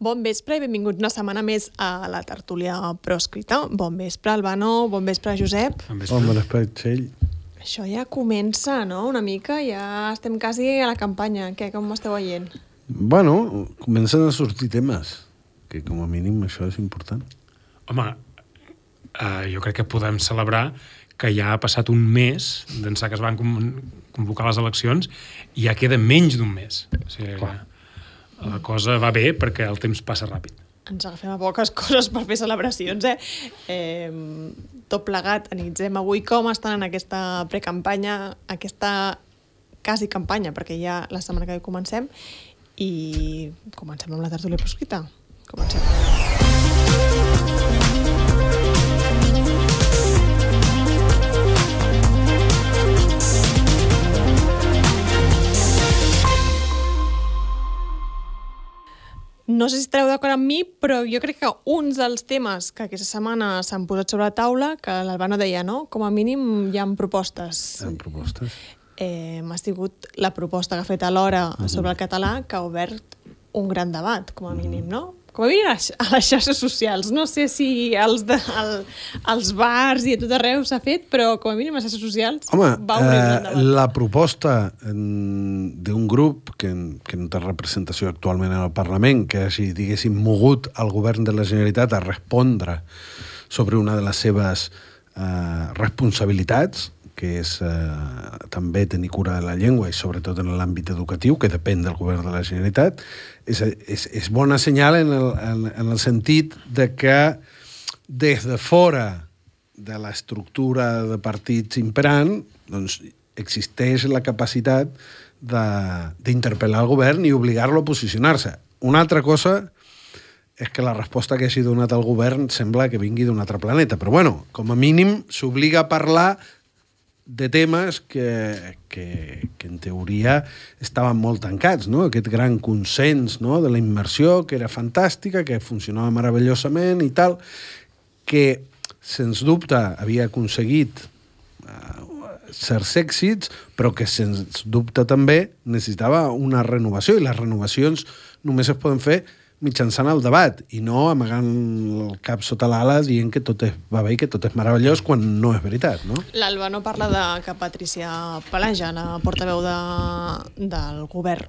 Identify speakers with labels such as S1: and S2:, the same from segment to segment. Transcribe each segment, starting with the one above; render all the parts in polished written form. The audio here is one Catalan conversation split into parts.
S1: Bon vespre i benvinguts una setmana més a la tertúlia proscrita. Bon vespre, Albano, bon vespre, Josep.
S2: Bon vespre, Txell.
S1: Això ja comença, no?, una mica, ja estem quasi a la campanya. Què, com ho esteu veient?
S2: Bueno, comencen a sortir temes, que com a mínim això és important.
S3: Home, jo crec que podem celebrar que ja ha passat un mes d'ençà que es van convocar les eleccions i ja queda menys d'un mes. O sigui, la cosa va bé perquè el temps passa ràpid.
S1: Ens agafem a poques coses per fer celebracions, Tot plegat, analitzem avui com estan en aquesta precampanya, aquesta quasi campanya, perquè ja la setmana que ve comencem, i comencem amb la tertúlia proscrita. Comencem. No sé si estareu d'acord amb mi, però jo crec que un dels temes que aquesta setmana s'han posat sobre la taula, que l'Albano deia, no? Com a mínim hi ha propostes.
S2: Hi ha propostes.
S1: Ha sigut la proposta que ha fet alhora sobre el català, que ha obert un gran debat, com a mínim, no? Com a mínim a les xarxes socials. No sé si als bars i a tot arreu s'ha fet, però com a mínim a les xarxes socials va obrir un gran debat.
S2: La proposta d'un grup que no té representació actualment en el Parlament, que hagi, diguéssim, mogut el govern de la Generalitat a respondre sobre una de les seves responsabilitats, que és també tenir cura de la llengua i sobretot en l'àmbit educatiu, que depèn del govern de la Generalitat, és bona senyal en el sentit de que des de fora de l'estructura de partits imperant doncs, existeix la capacitat d'interpel·lar el govern i obligar-lo a posicionar-se. Una altra cosa és que la resposta que hagi donat el govern sembla que vingui d'un altre planeta, però bueno, com a mínim s'obliga a parlar de temes que en teoria estaven molt tancats, no? Aquest gran consens, no?, de la immersió, que era fantàstica, que funcionava meravellosament i tal, que, sens dubte, havia aconseguit certs èxits, però que, sens dubte, també necessitava una renovació, i les renovacions només es poden fer mitjançant el debat i no amagant el cap sota l'ala dient que tot va bé i que tot és meravellós quan no és veritat, no?
S1: L'Albano parla de que Patricia Palaja, la portaveu del govern,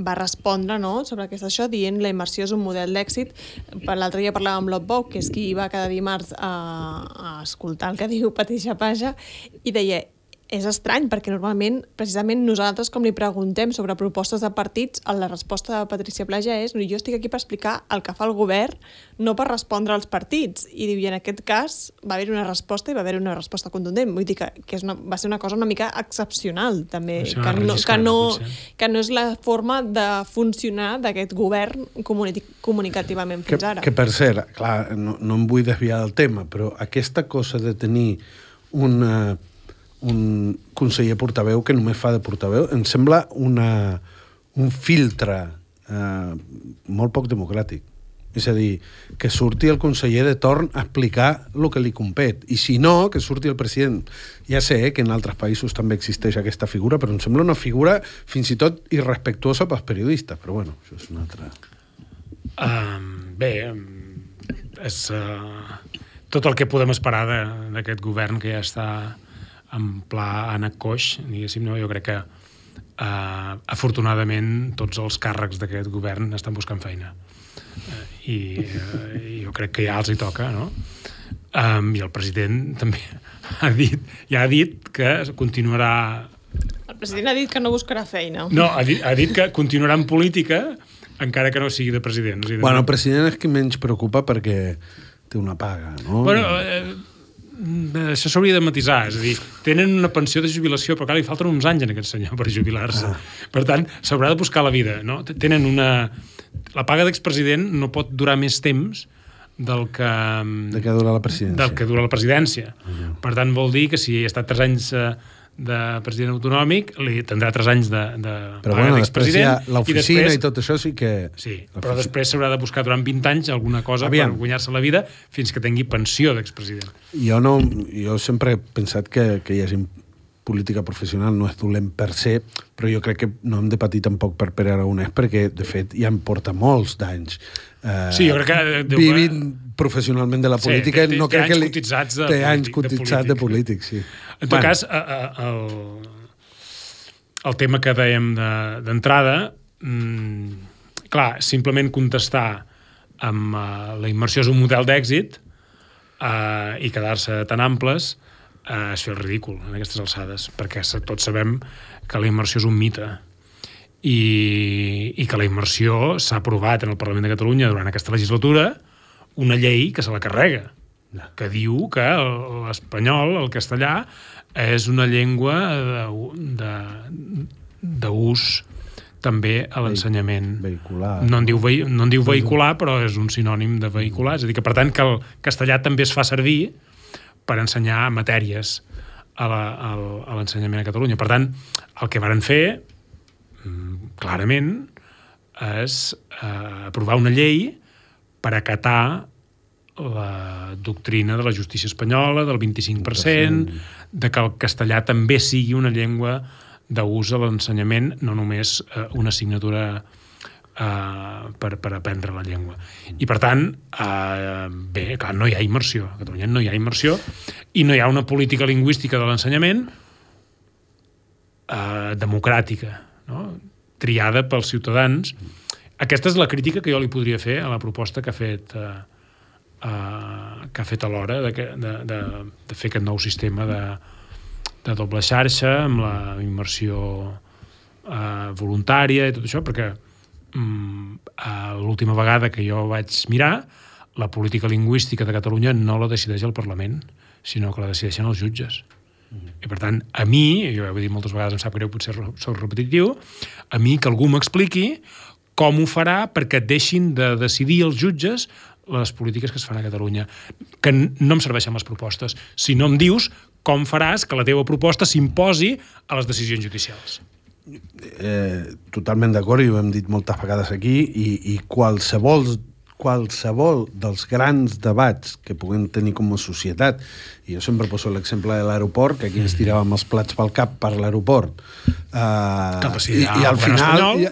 S1: va respondre, no?, sobre això, dient la immersió és un model d'èxit. L'altre dia parlàvem amb l'Otbou, que és qui va cada dimarts a escoltar el que diu Patricia Palaja, i deia: és estrany, perquè normalment, precisament, nosaltres, com li preguntem sobre propostes de partits, la resposta de Patricia Palaja és: jo estic aquí per explicar el que fa el govern, no per respondre als partits. I diu, i en aquest cas va haver una resposta, i va haver una resposta contundent. Vull dir que va ser una cosa una mica excepcional, també, que no és la forma de funcionar d'aquest govern comunicativament fins ara.
S2: Que per cert, clar, no em vull desviar del tema, però aquesta cosa de tenir un conseller portaveu que només fa de portaveu, em sembla un filtre molt poc democràtic. És a dir, que surti el conseller de torn a explicar el que li compet. I si no, que surti el president. Ja sé que en altres països també existeix aquesta figura, però em sembla una figura fins i tot irrespectuosa pels periodistes. Però bueno, això és una altra...
S3: Bé, és tot el que podem esperar d'aquest govern que ja està en pla ànec coix, diguéssim, no? Jo crec que afortunadament tots els càrrecs d'aquest govern estan buscant feina i jo crec que ja els hi toca, no? I el president també ha dit que continuarà...
S1: El president ha dit que no buscarà feina.
S3: No, ha dit que continuarà en política encara que no sigui de president.
S2: Bueno, el president és qui menys preocupa perquè té una paga, no?
S3: Bueno, això s'hauria de matisar, és a dir, tenen una pensió de jubilació, però clar, li falten uns anys en aquest senyor per jubilar-se. Per tant, s'haurà de buscar la vida, no? Tenen la paga d'expresident no pot durar més temps del que
S2: dura la presidència.
S3: Del que dura la presidència. Per tant, vol dir que si ha estat 3 anys de president autonòmic, li tindrà 3 anys de
S2: però bueno, després hi ha l'oficina i tot això sí que...
S3: Sí, però després s'haurà de buscar durant 20 anys alguna cosa per guanyar-se la vida fins que tingui pensió d'expresident.
S2: Jo sempre he pensat que hi hagi política professional no és dolent per se, però jo crec que no hem de patir tampoc per Pere Aragonès, perquè, de fet, ja em porta molts d'anys
S3: sí, jo crec que
S2: vivint professionalment de la política.
S3: Sí,
S2: no crec que
S3: té anys
S2: cotitzats de polític, sí.
S3: En tot cas, el tema que dèiem d'entrada, clar, simplement contestar amb la immersió és un model d'èxit i quedar-se tan amples és fer el ridícul en aquestes alçades, perquè tots sabem que la immersió és un mite i que la immersió s'ha aprovat en el Parlament de Catalunya durant aquesta legislatura una llei que se la carrega, que diu que l'espanyol, el castellà, és una llengua d'ús també a l'ensenyament.
S2: Vehicular.
S3: No en diu vehicular, però és un sinònim de vehicular. És a dir, que per tant que el castellà també es fa servir per ensenyar matèries a l'ensenyament a Catalunya. Per tant, el que varen fer, clarament, és aprovar una llei per acatar la doctrina de la justícia espanyola, del 25%, de que el castellà també sigui una llengua d'ús a l'ensenyament, no només una assignatura per aprendre la llengua. I, per tant, bé, clar, no hi ha immersió. A Catalunya no hi ha immersió i no hi ha una política lingüística de l'ensenyament democràtica, no? Triada pels ciutadans. Aquesta és la crítica que jo li podria fer a la proposta que ha fet a l'hora de fer aquest nou sistema de doble xarxa amb la immersió voluntària i tot això, perquè l'última vegada que jo vaig mirar, la política lingüística de Catalunya no la decideix el Parlament, sinó que la decideixen els jutges. I, per tant, a mi, jo ho he dit moltes vegades, em sap greu, potser soc repetitiu, a mi que algú m'expliqui com ho farà perquè deixin de decidir els jutges les polítiques que es fan a Catalunya, que no em serveixen les propostes, si no em dius com faràs que la teva proposta s'imposi a les decisions judicials.
S2: Totalment d'acord, i ho hem dit moltes vegades aquí, i qualsevol dels grans debats que puguem tenir com a societat, i jo sempre poso l'exemple de l'aeroport, que aquí ens tiràvem els plats pel cap per l'aeroport, i al final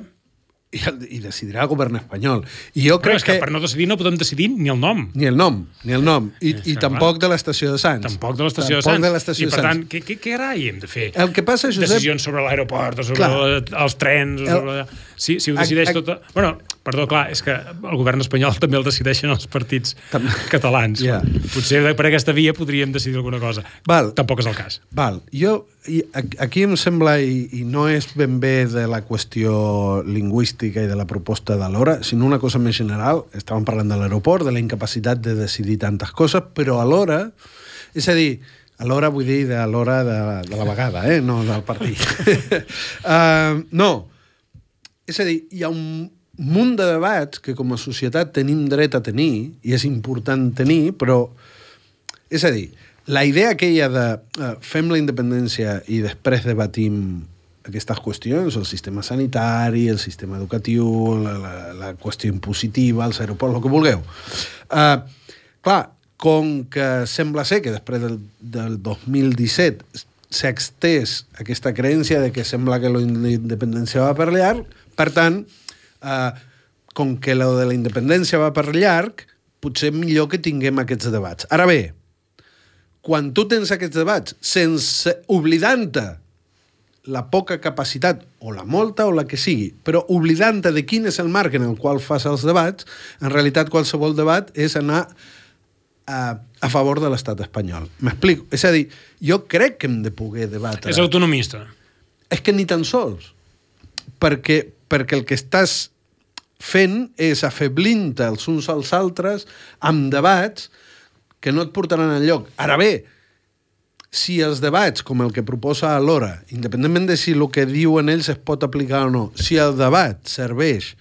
S2: i decidirà el govern espanyol. I jo crec
S3: que per no decidir no podem decidir ni el nom.
S2: Ni el nom. I tampoc de l'estació de Sants.
S3: Tampoc de l'estació de Sants. I per tant, què carai hem de fer?
S2: El que passa, Josep...
S3: Decisions sobre l'aeroport, o sobre els trens, o sobre... Si ho decideix tot... Bueno, perdó, clar, és que el govern espanyol també el decideixen els partits catalans. Potser per aquesta via podríem decidir alguna cosa. Tampoc és el cas.
S2: Aquí em sembla, i no és ben bé de la qüestió lingüística i de la proposta de l'hora, sinó una cosa més general. Estàvem parlant de l'aeroport, de la incapacitat de decidir tantes coses, però alhora, és a dir, alhora vull dir de l'hora de la vegada, no del partit. No, és a dir, hi ha un munt de debats que com a societat tenim dret a tenir, i és important tenir, però, és a dir, la idea aquella de fem la independència i després debatim aquestes qüestions, el sistema sanitari, el sistema educatiu, la qüestió impositiva, els aeroports, el que vulgueu. Clar, com que sembla ser que després del 2017 s'ha extès aquesta creença de que sembla que la independència va per llarg, per tant, com que la de la independència va per llarg, potser millor que tinguem aquests debats. Ara bé, quan tu tens aquests debats, sense oblidant-te la poca capacitat, o la molta, o la que sigui, però oblidant-te de quin és el marc en el qual fas els debats, en realitat qualsevol debat és anar a favor de l'estat espanyol. M'explico? És a dir, jo crec que hem de poder debatre...
S3: És autonomista.
S2: És que ni tan sols. Perquè el que estàs fent és afeblint-te els uns als altres amb debats que no et portaran enlloc. Ara bé, si els debats, com el que proposa l'hora, independentment de si el que diuen ells es pot aplicar o no, si el debat serveix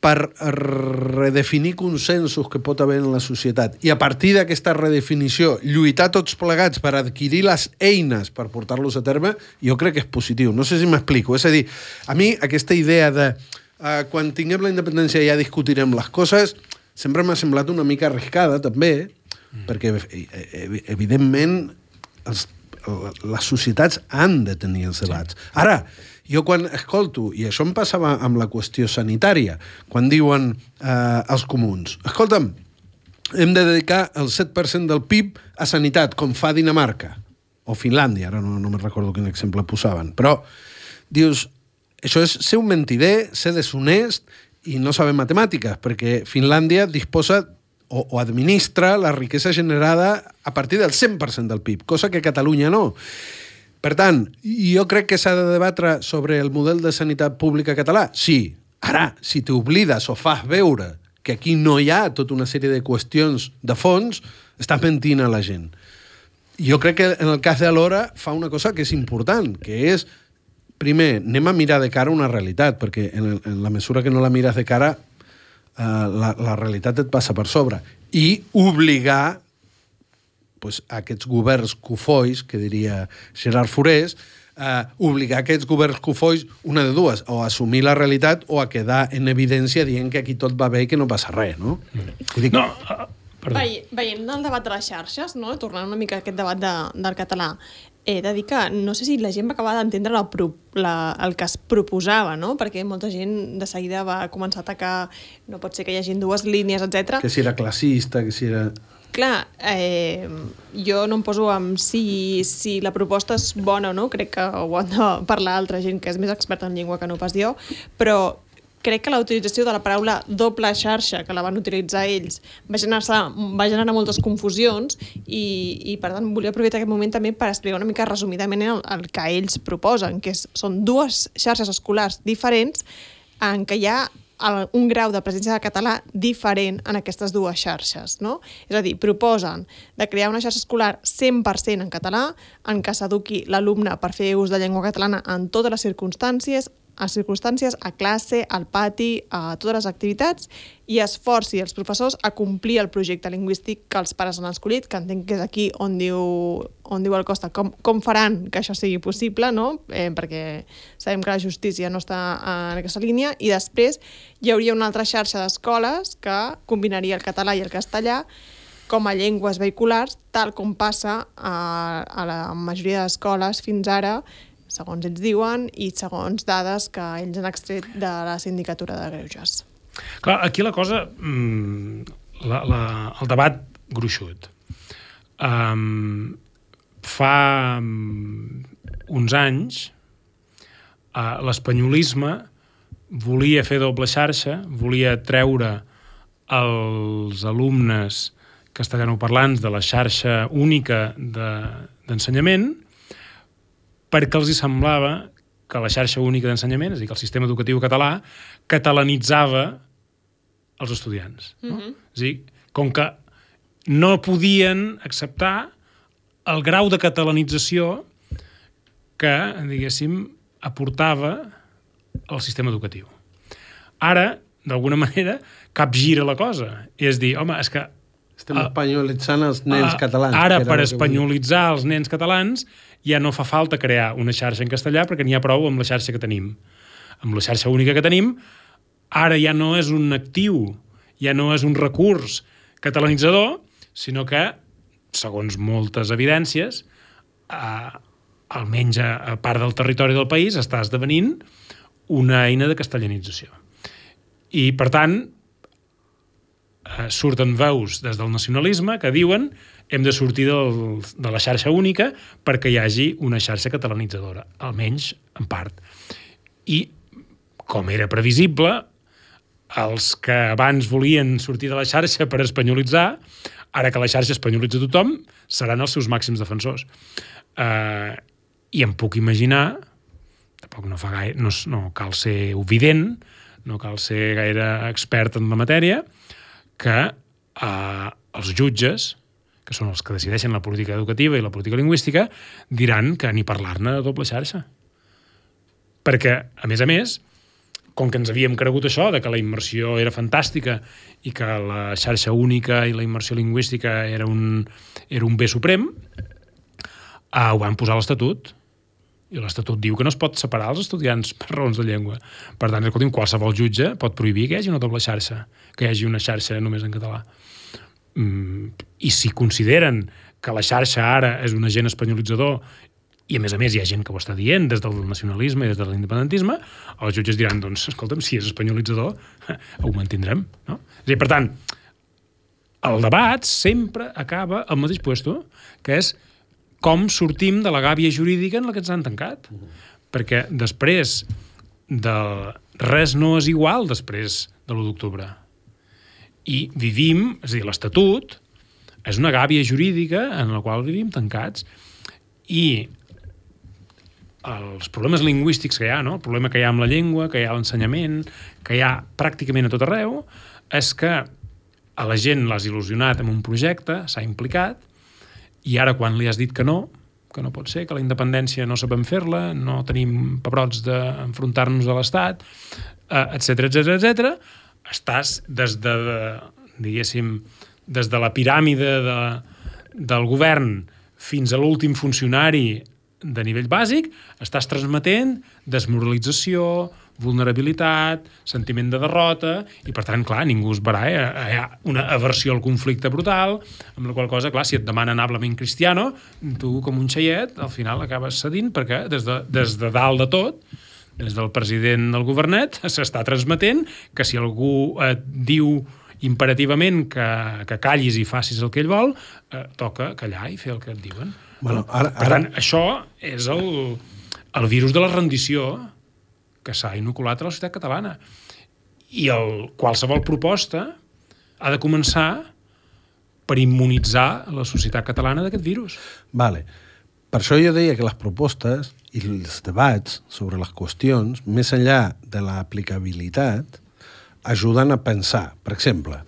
S2: per redefinir consensos que pot haver en la societat i a partir d'aquesta redefinició lluitar tots plegats per adquirir les eines per portar-los a terme, jo crec que és positiu. No sé si m'explico. És a dir, a mi aquesta idea de quan tinguem la independència ja discutirem les coses sempre m'ha semblat una mica arriscada, també, perquè, evidentment, les societats han de tenir els debats. Ara, jo quan escolto, i això em passava amb la qüestió sanitària, quan diuen els comuns, escolta'm, hem de dedicar el 7% del PIB a sanitat, com fa Dinamarca, o Finlàndia, ara no me'n recordo quin exemple posaven, però dius, això és ser un mentider, ser deshonest i no saber matemàtiques, perquè Finlàndia disposa o administra la riquesa generada a partir del 100% del PIB, cosa que Catalunya no. Per tant, jo crec que s'ha de debatre sobre el model de sanitat pública català. Sí. Ara, si t'oblides o fas veure que aquí no hi ha tota una sèrie de qüestions de fons, estàs mentint a la gent. Jo crec que en el cas de l'Hora fa una cosa que és important, que és, primer, anem a mirar de cara una realitat, perquè en la mesura que no la mires de cara, la realitat et passa per sobre. I obligar aquests governs cofois, que diria Gerard Forés, obligar aquests governs cofois, una de dues, o a assumir la realitat o a quedar en evidència dient que aquí tot va bé i que no passa res, no? Dic...
S3: No,
S1: veient el debat de les xarxes, no? Tornant una mica a aquest debat del català, he de dir que no sé si la gent va acabar d'entendre el que es proposava, no? Perquè molta gent de seguida va començar a atacar, no pot ser que hi hagi dues línies, etc.
S2: Que si era classista, que si era...
S1: Clar, jo no em poso amb si la proposta és bona o no, crec que ho han de parlar altra gent que és més experta en llengua que no pas jo, però crec que la utilització de la paraula doble xarxa, que la van utilitzar ells, va generar moltes confusions i per tant, volia aprofitar aquest moment també per explicar una mica resumidament el que ells proposen, que són dues xarxes escolars diferents en què hi ha un grau de presència de català diferent en aquestes dues xarxes, no? És a dir, proposen de crear una xarxa escolar 100% en català, en què s'eduqui l'alumne per fer ús de llengua catalana en totes les circumstàncies, a classe, al pati, a totes les activitats, i esforci els professors a complir el projecte lingüístic que els pares han escollit, que entenc que és aquí on diu el Costa, com faran que això sigui possible, no? Perquè sabem que la justícia no està en aquesta línia, i després hi hauria una altra xarxa d'escoles que combinaria el català i el castellà com a llengües vehiculars, tal com passa a la majoria d'escoles fins ara, segons ells diuen, i segons dades que ells han extret de la Sindicatura de Greuges.
S3: Clar, aquí la cosa, el debat gruixut. Fa uns anys, l'espanyolisme volia fer doble xarxa, volia treure els alumnes castellanoparlants de la xarxa única d'ensenyament, perquè els semblava que la xarxa única d'ensenyament, és a dir, que el sistema educatiu català, catalanitzava els estudiants. No? És a dir, com que no podien acceptar el grau de catalanització que, diguéssim, aportava el sistema educatiu. Ara, d'alguna manera, capgira la cosa. És dir, home, és que...
S2: Estem espanyolitzant els nens catalans.
S3: Ara, per espanyolitzar els nens catalans, ja no fa falta crear una xarxa en castellà perquè n'hi ha prou amb la xarxa que tenim. Amb la xarxa única que tenim, ara ja no és un actiu, ja no és un recurs catalanitzador, sinó que, segons moltes evidències, almenys a part del territori del país, està esdevenint una eina de castellanització. I, per tant, surten veus des del nacionalisme que diuen hem de sortir de la xarxa única perquè hi hagi una xarxa catalanitzadora, almenys en part. I, com era previsible, els que abans volien sortir de la xarxa per espanyolitzar, ara que la xarxa espanyolitza tothom, seran els seus màxims defensors. I em puc imaginar, tampoc no cal ser evident, no cal ser gaire expert en la matèria, que els jutges, que són els que decideixen la política educativa i la política lingüística, diran que ni parlar-ne de doble xarxa. Perquè, a més, com que ens havíem cregut això, de que la immersió era fantàstica i que la xarxa única i la immersió lingüística era un bé suprem, ho van posar a l'Estatut. I l'Estatut diu que no es pot separar els estudiants per raons de llengua. Per tant, escolti'm, qualsevol jutge pot prohibir que hi hagi una doble xarxa, que hi hagi una xarxa només en català. I si consideren que la xarxa ara és un agent espanyolitzador i, a més, hi ha gent que ho està dient des del nacionalisme i des de l'independentisme, els jutges diran, doncs, escolta'm, si és espanyolitzador, ho mantindrem, no? És a dir, per tant, el debat sempre acaba al mateix puesto, que és com sortim de la gàbia jurídica en la que ens han tancat. Perquè després de res no és igual després de l'1 d'octubre. I vivim, és a dir, l'Estatut és una gàbia jurídica en la qual vivim tancats. I els problemes lingüístics que hi ha, no? El problema que hi ha amb la llengua, que hi ha a l'ensenyament, que hi ha pràcticament a tot arreu, és que a la gent l'has il·lusionat amb un projecte, s'ha implicat, i ara quan li has dit que no pot ser, que la independència no sabem fer-la, no tenim pebrots d'enfrontar-nos a l'Estat, etc, estàs des de, diguéssim, des de la piràmide del govern fins a l'últim funcionari de nivell bàsic, estàs transmetent desmoralització, vulnerabilitat, sentiment de derrota, i per tant, clar, ningú es verà, hi ha una aversió al conflicte brutal, amb la qual cosa, clar, si et demanen hablament cristiano, tu, com un xaiet, al final acabes cedint, perquè des de dalt de tot, des del president del governet, s'està transmetent que si algú et diu imperativament que callis i facis el que ell vol, toca callar i fer el que et diuen.
S2: Bueno,
S3: per tant, això és el virus de la rendició que s'ha inoculat a la societat catalana. I qualsevol proposta ha de començar per immunitzar la societat catalana d'aquest virus.
S2: Vale. Per això jo deia que les propostes i els debats sobre les qüestions, més enllà de l'aplicabilitat, ajuden a pensar. Per exemple,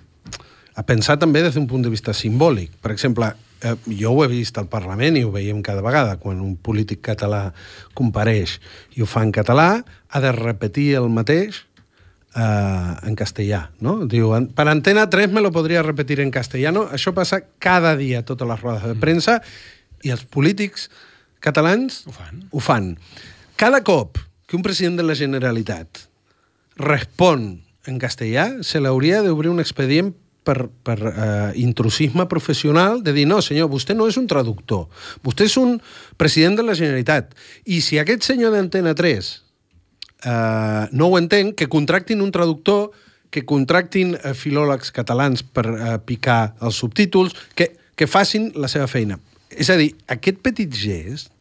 S2: a pensar també des d'un punt de vista simbòlic. Per exemple, jo ho he vist al Parlament i ho veiem cada vegada, quan un polític català compareix i ho fa en català, ha de repetir el mateix en castellà, no? Diu, per Antena 3 me lo podria repetir en castellano. Això passa cada dia a totes les rodes de premsa i els polítics catalans ho fan. Cada cop que un president de la Generalitat respon en castellà, se l'hauria d'obrir un expedient per intrusisme professional, de dir, no, senyor, vostè no és un traductor, vostè és un president de la Generalitat, i si aquest senyor d'Antena 3 no ho entén, que contractin un traductor, que contractin filòlegs catalans per picar els subtítols, que facin la seva feina. És a dir, aquest petit gest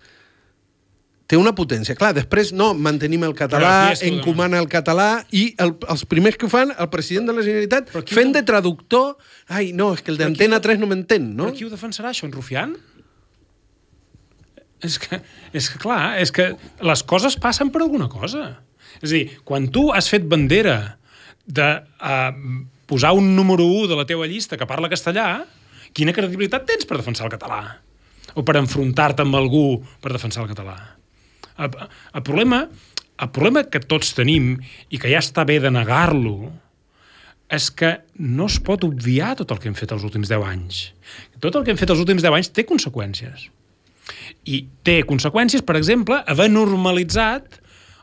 S2: té una potència. Clar, després no, mantenim el català, encomana el català, i els primers que ho fan, el president de la Generalitat, fent de traductor, ai, no, és que el d'Antena 3 no m'entén, no?
S3: Però qui ho defensarà, això, en Rufián? És que clar, és que les coses passen per alguna cosa. És a dir, quan tu has fet bandera de posar un número 1 de la teva llista que parla castellà, quina credibilitat tens per defensar el català? O per enfrontar-te amb algú per defensar el català? El problema que tots tenim, i que ja està bé de negar-lo, és que no es pot obviar tot el que hem fet els últims 10 anys. Tot el que hem fet els últims 10 anys té conseqüències. I té conseqüències, per exemple, haver normalitzat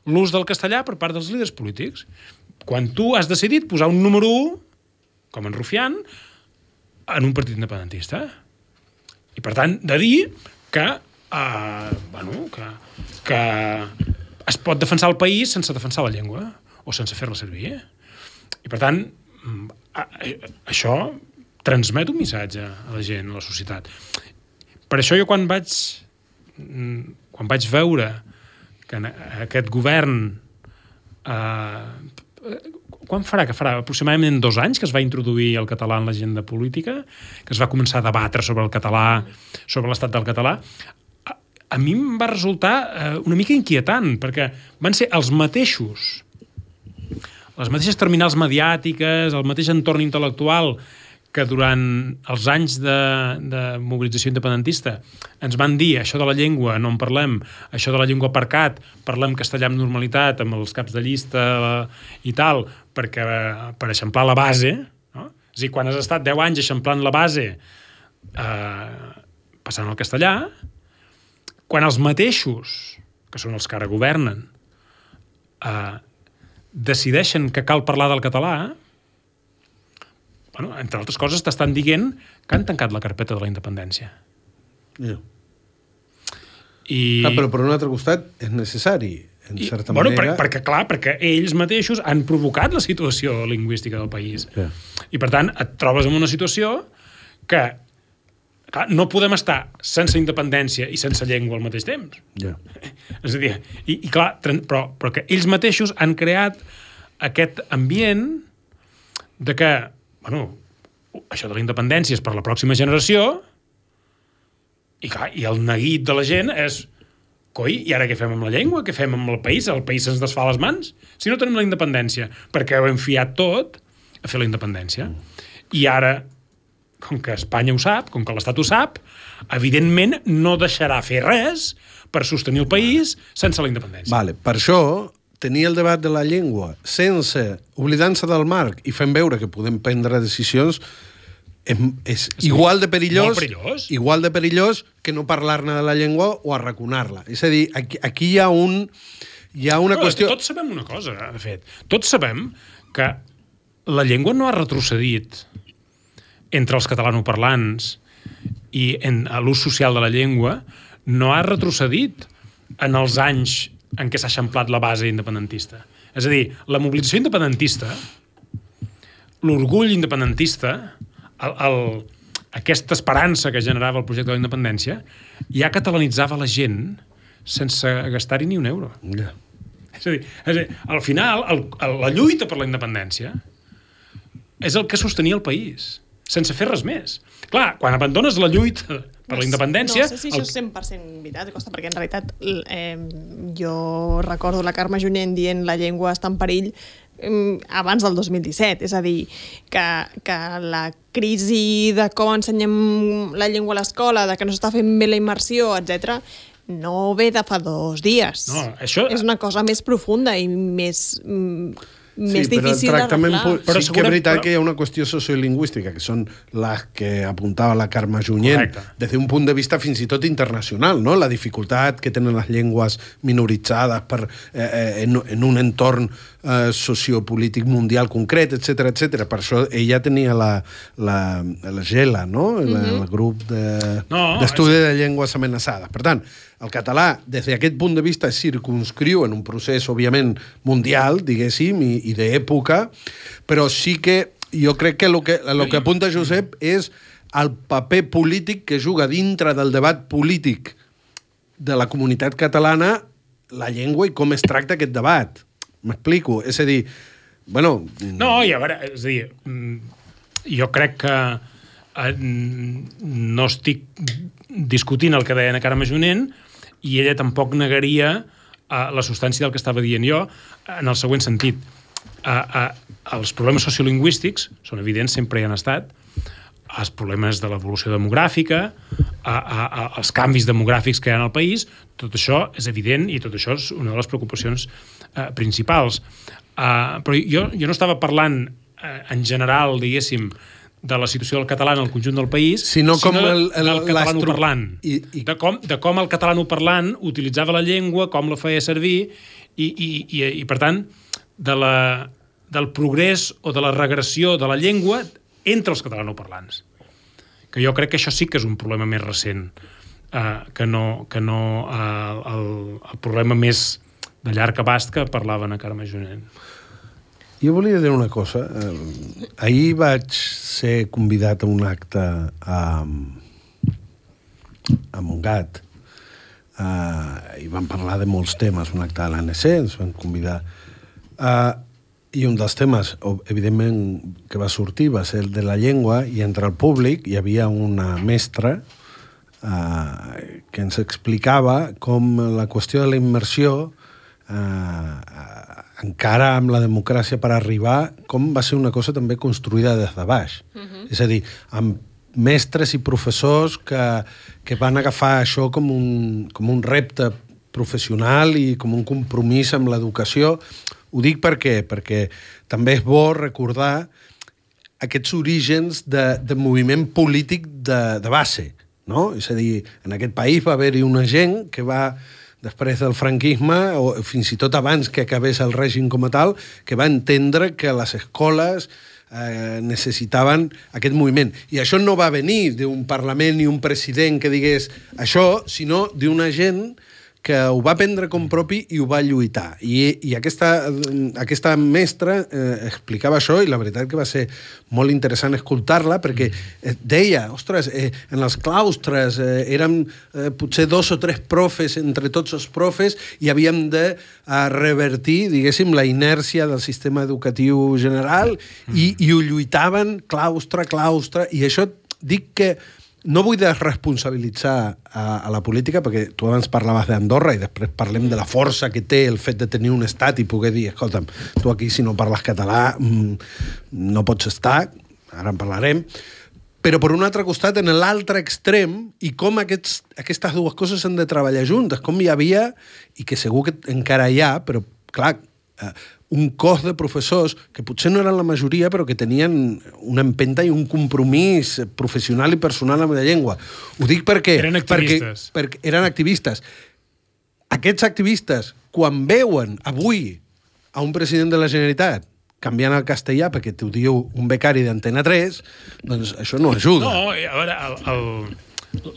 S3: l'ús del castellà per part dels líders polítics. Quan tu has decidit posar un número 1, com en Rufián, en un partit independentista. I, per tant, de dir que que es pot defensar el país sense defensar la llengua o sense fer-la servir. I, per tant, això transmet un missatge a la gent, a la societat. Per això jo quan vaig veure que aquest govern quan farà? Que farà aproximadament 2 anys que es va introduir el català en l'agenda política, que es va començar a debatre sobre el català, sobre l'estat del català. A mi em va resultar una mica inquietant, perquè van ser els mateixos, les mateixes terminals mediàtiques, el mateix entorn intel·lectual que durant els anys de mobilització independentista ens van dir això de la llengua, no en parlem, això de la llengua aparcat, parlem castellà amb normalitat, amb els caps de llista i tal, per eixamplar la base, no? És a dir, quan has estat 10 anys eixamplant la base passant al castellà, quan els mateixos, que són els que ara governen, decideixen que cal parlar del català, entre altres coses t'estan dient que han tancat la carpeta de la independència.
S2: Yeah.
S3: I...
S2: Però per un altre costat és necessari, en certa
S3: bueno,
S2: manera...
S3: perquè ells mateixos han provocat la situació lingüística del país.
S2: Yeah.
S3: I, per tant, et trobes en una situació que clar, no podem estar sense independència i sense llengua al mateix temps.
S2: Yeah.
S3: És a dir, i clar, però que ells mateixos han creat aquest ambient de que, bueno, això de la independència és per la pròxima generació i clar, i el neguit de la gent és coi, i ara què fem amb la llengua? Què fem amb el país? El país se'ns desfà les mans? Si no tenim la independència, perquè ho hem fiat tot a fer la independència. I ara, com que Espanya ho sap, com que l'Estat ho sap, evidentment no deixarà fer res per sostenir el país sense la independència.
S2: Vale, per això, tenir el debat de la llengua sense oblidar-se del marc i fent veure que podem prendre decisions és igual de perillós, igual de perillós que no parlar-ne de la llengua o arraconar-la. És a dir, aquí hi ha una qüestió...
S3: Tots sabem una cosa, de fet. Tots sabem que la llengua no ha retrocedit entre els catalanoparlants i en l'ús social de la llengua no ha retrocedit en els anys en què s'ha eixamplat la base independentista. És a dir, la mobilització independentista, l'orgull independentista, aquesta esperança que generava el projecte de la independència ja catalanitzava la gent sense gastar-hi ni un euro.
S2: Yeah.
S3: És a dir, al final, la lluita per la independència és el que sostenia el país, sense fer res més. Clar, quan abandones la lluita per la independència...
S1: No sé si això és 100% veritat, Costa, perquè en realitat jo recordo la Carme Junyent dient la llengua està en perill abans del 2017, és a dir, que la crisi de com ensenyem la llengua a l'escola, de que no s'està fent bé la immersió, etc, no ve de fa 2 dies.
S3: No, això...
S1: És una cosa més profunda i més difícil d'arreglar.
S2: Però sí que és veritat que hi ha una qüestió sociolingüística, que són les que apuntava la Carme Junyent, des d'un punt de vista fins i tot internacional, no? La dificultat que tenen les llengües minoritzades en un entorn sociopolític mundial concret, etc etc. Per això ella tenia la GELA, no? El grup d'estudi de llengües amenaçades. Per tant, el català, des d'aquest punt de vista, es circunscriu en un procés, òbviament, mundial, diguéssim, i d'època, però sí que jo crec que el que apunta Josep és el paper polític que juga dintre del debat polític de la comunitat catalana la llengua i com es tracta aquest debat. M'explico? És a dir, bueno...
S3: No, i a veure, és a dir, jo crec que no estic discutint el que deia la Carme Junyent i ella tampoc negaria la substància del que estava dient jo en el següent sentit. Els problemes sociolingüístics són evidents, sempre hi han estat, els problemes de l'evolució demogràfica, els canvis demogràfics que hi ha en el país, tot això és evident i tot això és una de les preocupacions principals. Però jo no estava parlant en general, diguéssim, de la situació del català en el conjunt del país, sinó del catalanoparlant. De com el catalanoparlant utilitzava la llengua, com la feia servir, i per tant, del progrés o de la regressió de la llengua entre els catalanoparlants. Que jo crec que això sí que és un problema més recent, que no el problema més de llarg abast que parlava na Carme Junyent.
S2: Jo volia dir una cosa. Ahir vaig ser convidat a un acte a Montgat i vam parlar de molts temes, un acte de l'ANC, ens van convidar. I un dels temes, evidentment, que va sortir va ser el de la llengua, i entre el públic hi havia una mestra que ens explicava com la qüestió de la immersió encara amb la democràcia per arribar, com va ser una cosa també construïda des de baix. És a dir, amb mestres i professors que van agafar això com un repte professional i com un compromís amb l'educació. Ho dic perquè també és bo recordar aquests orígens de moviment polític de base, no? És a dir, en aquest país va haver-hi una gent que va, després del franquisme, o fins i tot abans que acabés el règim com a tal, que va entendre que les escoles necessitaven aquest moviment. I això no va venir d'un Parlament ni un president que digués això, sinó d'una gent que ho va prendre com propi i ho va lluitar. I aquesta mestra explicava això, i la veritat que va ser molt interessant escoltar-la, perquè deia, ostres, en els claustres érem potser 2 o 3 profes entre tots els profes i havíem de revertir, diguéssim, la inèrcia del sistema educatiu general i ho lluitaven claustre, i això dic que no vull desresponsabilitzar a la política, perquè tu abans parlaves d'Andorra i després parlem de la força que té el fet de tenir un estat i poder dir, escolta'm, tu aquí si no parles català no pots estar, ara en parlarem, però per un altre costat, en l'altre extrem, i com aquestes dues coses han de treballar juntes, com hi havia, i que segur que encara hi ha, però clar, un cos de professors que potser no eren la majoria, però que tenien una empenta i un compromís professional i personal amb la llengua. Ho dic perquè...
S3: Eren activistes.
S2: Perquè eren activistes. Aquests activistes, quan veuen avui a un president de la Generalitat canviant el castellà perquè t'ho diu un becari d'Antena 3, doncs això no ajuda.
S3: No, a veure,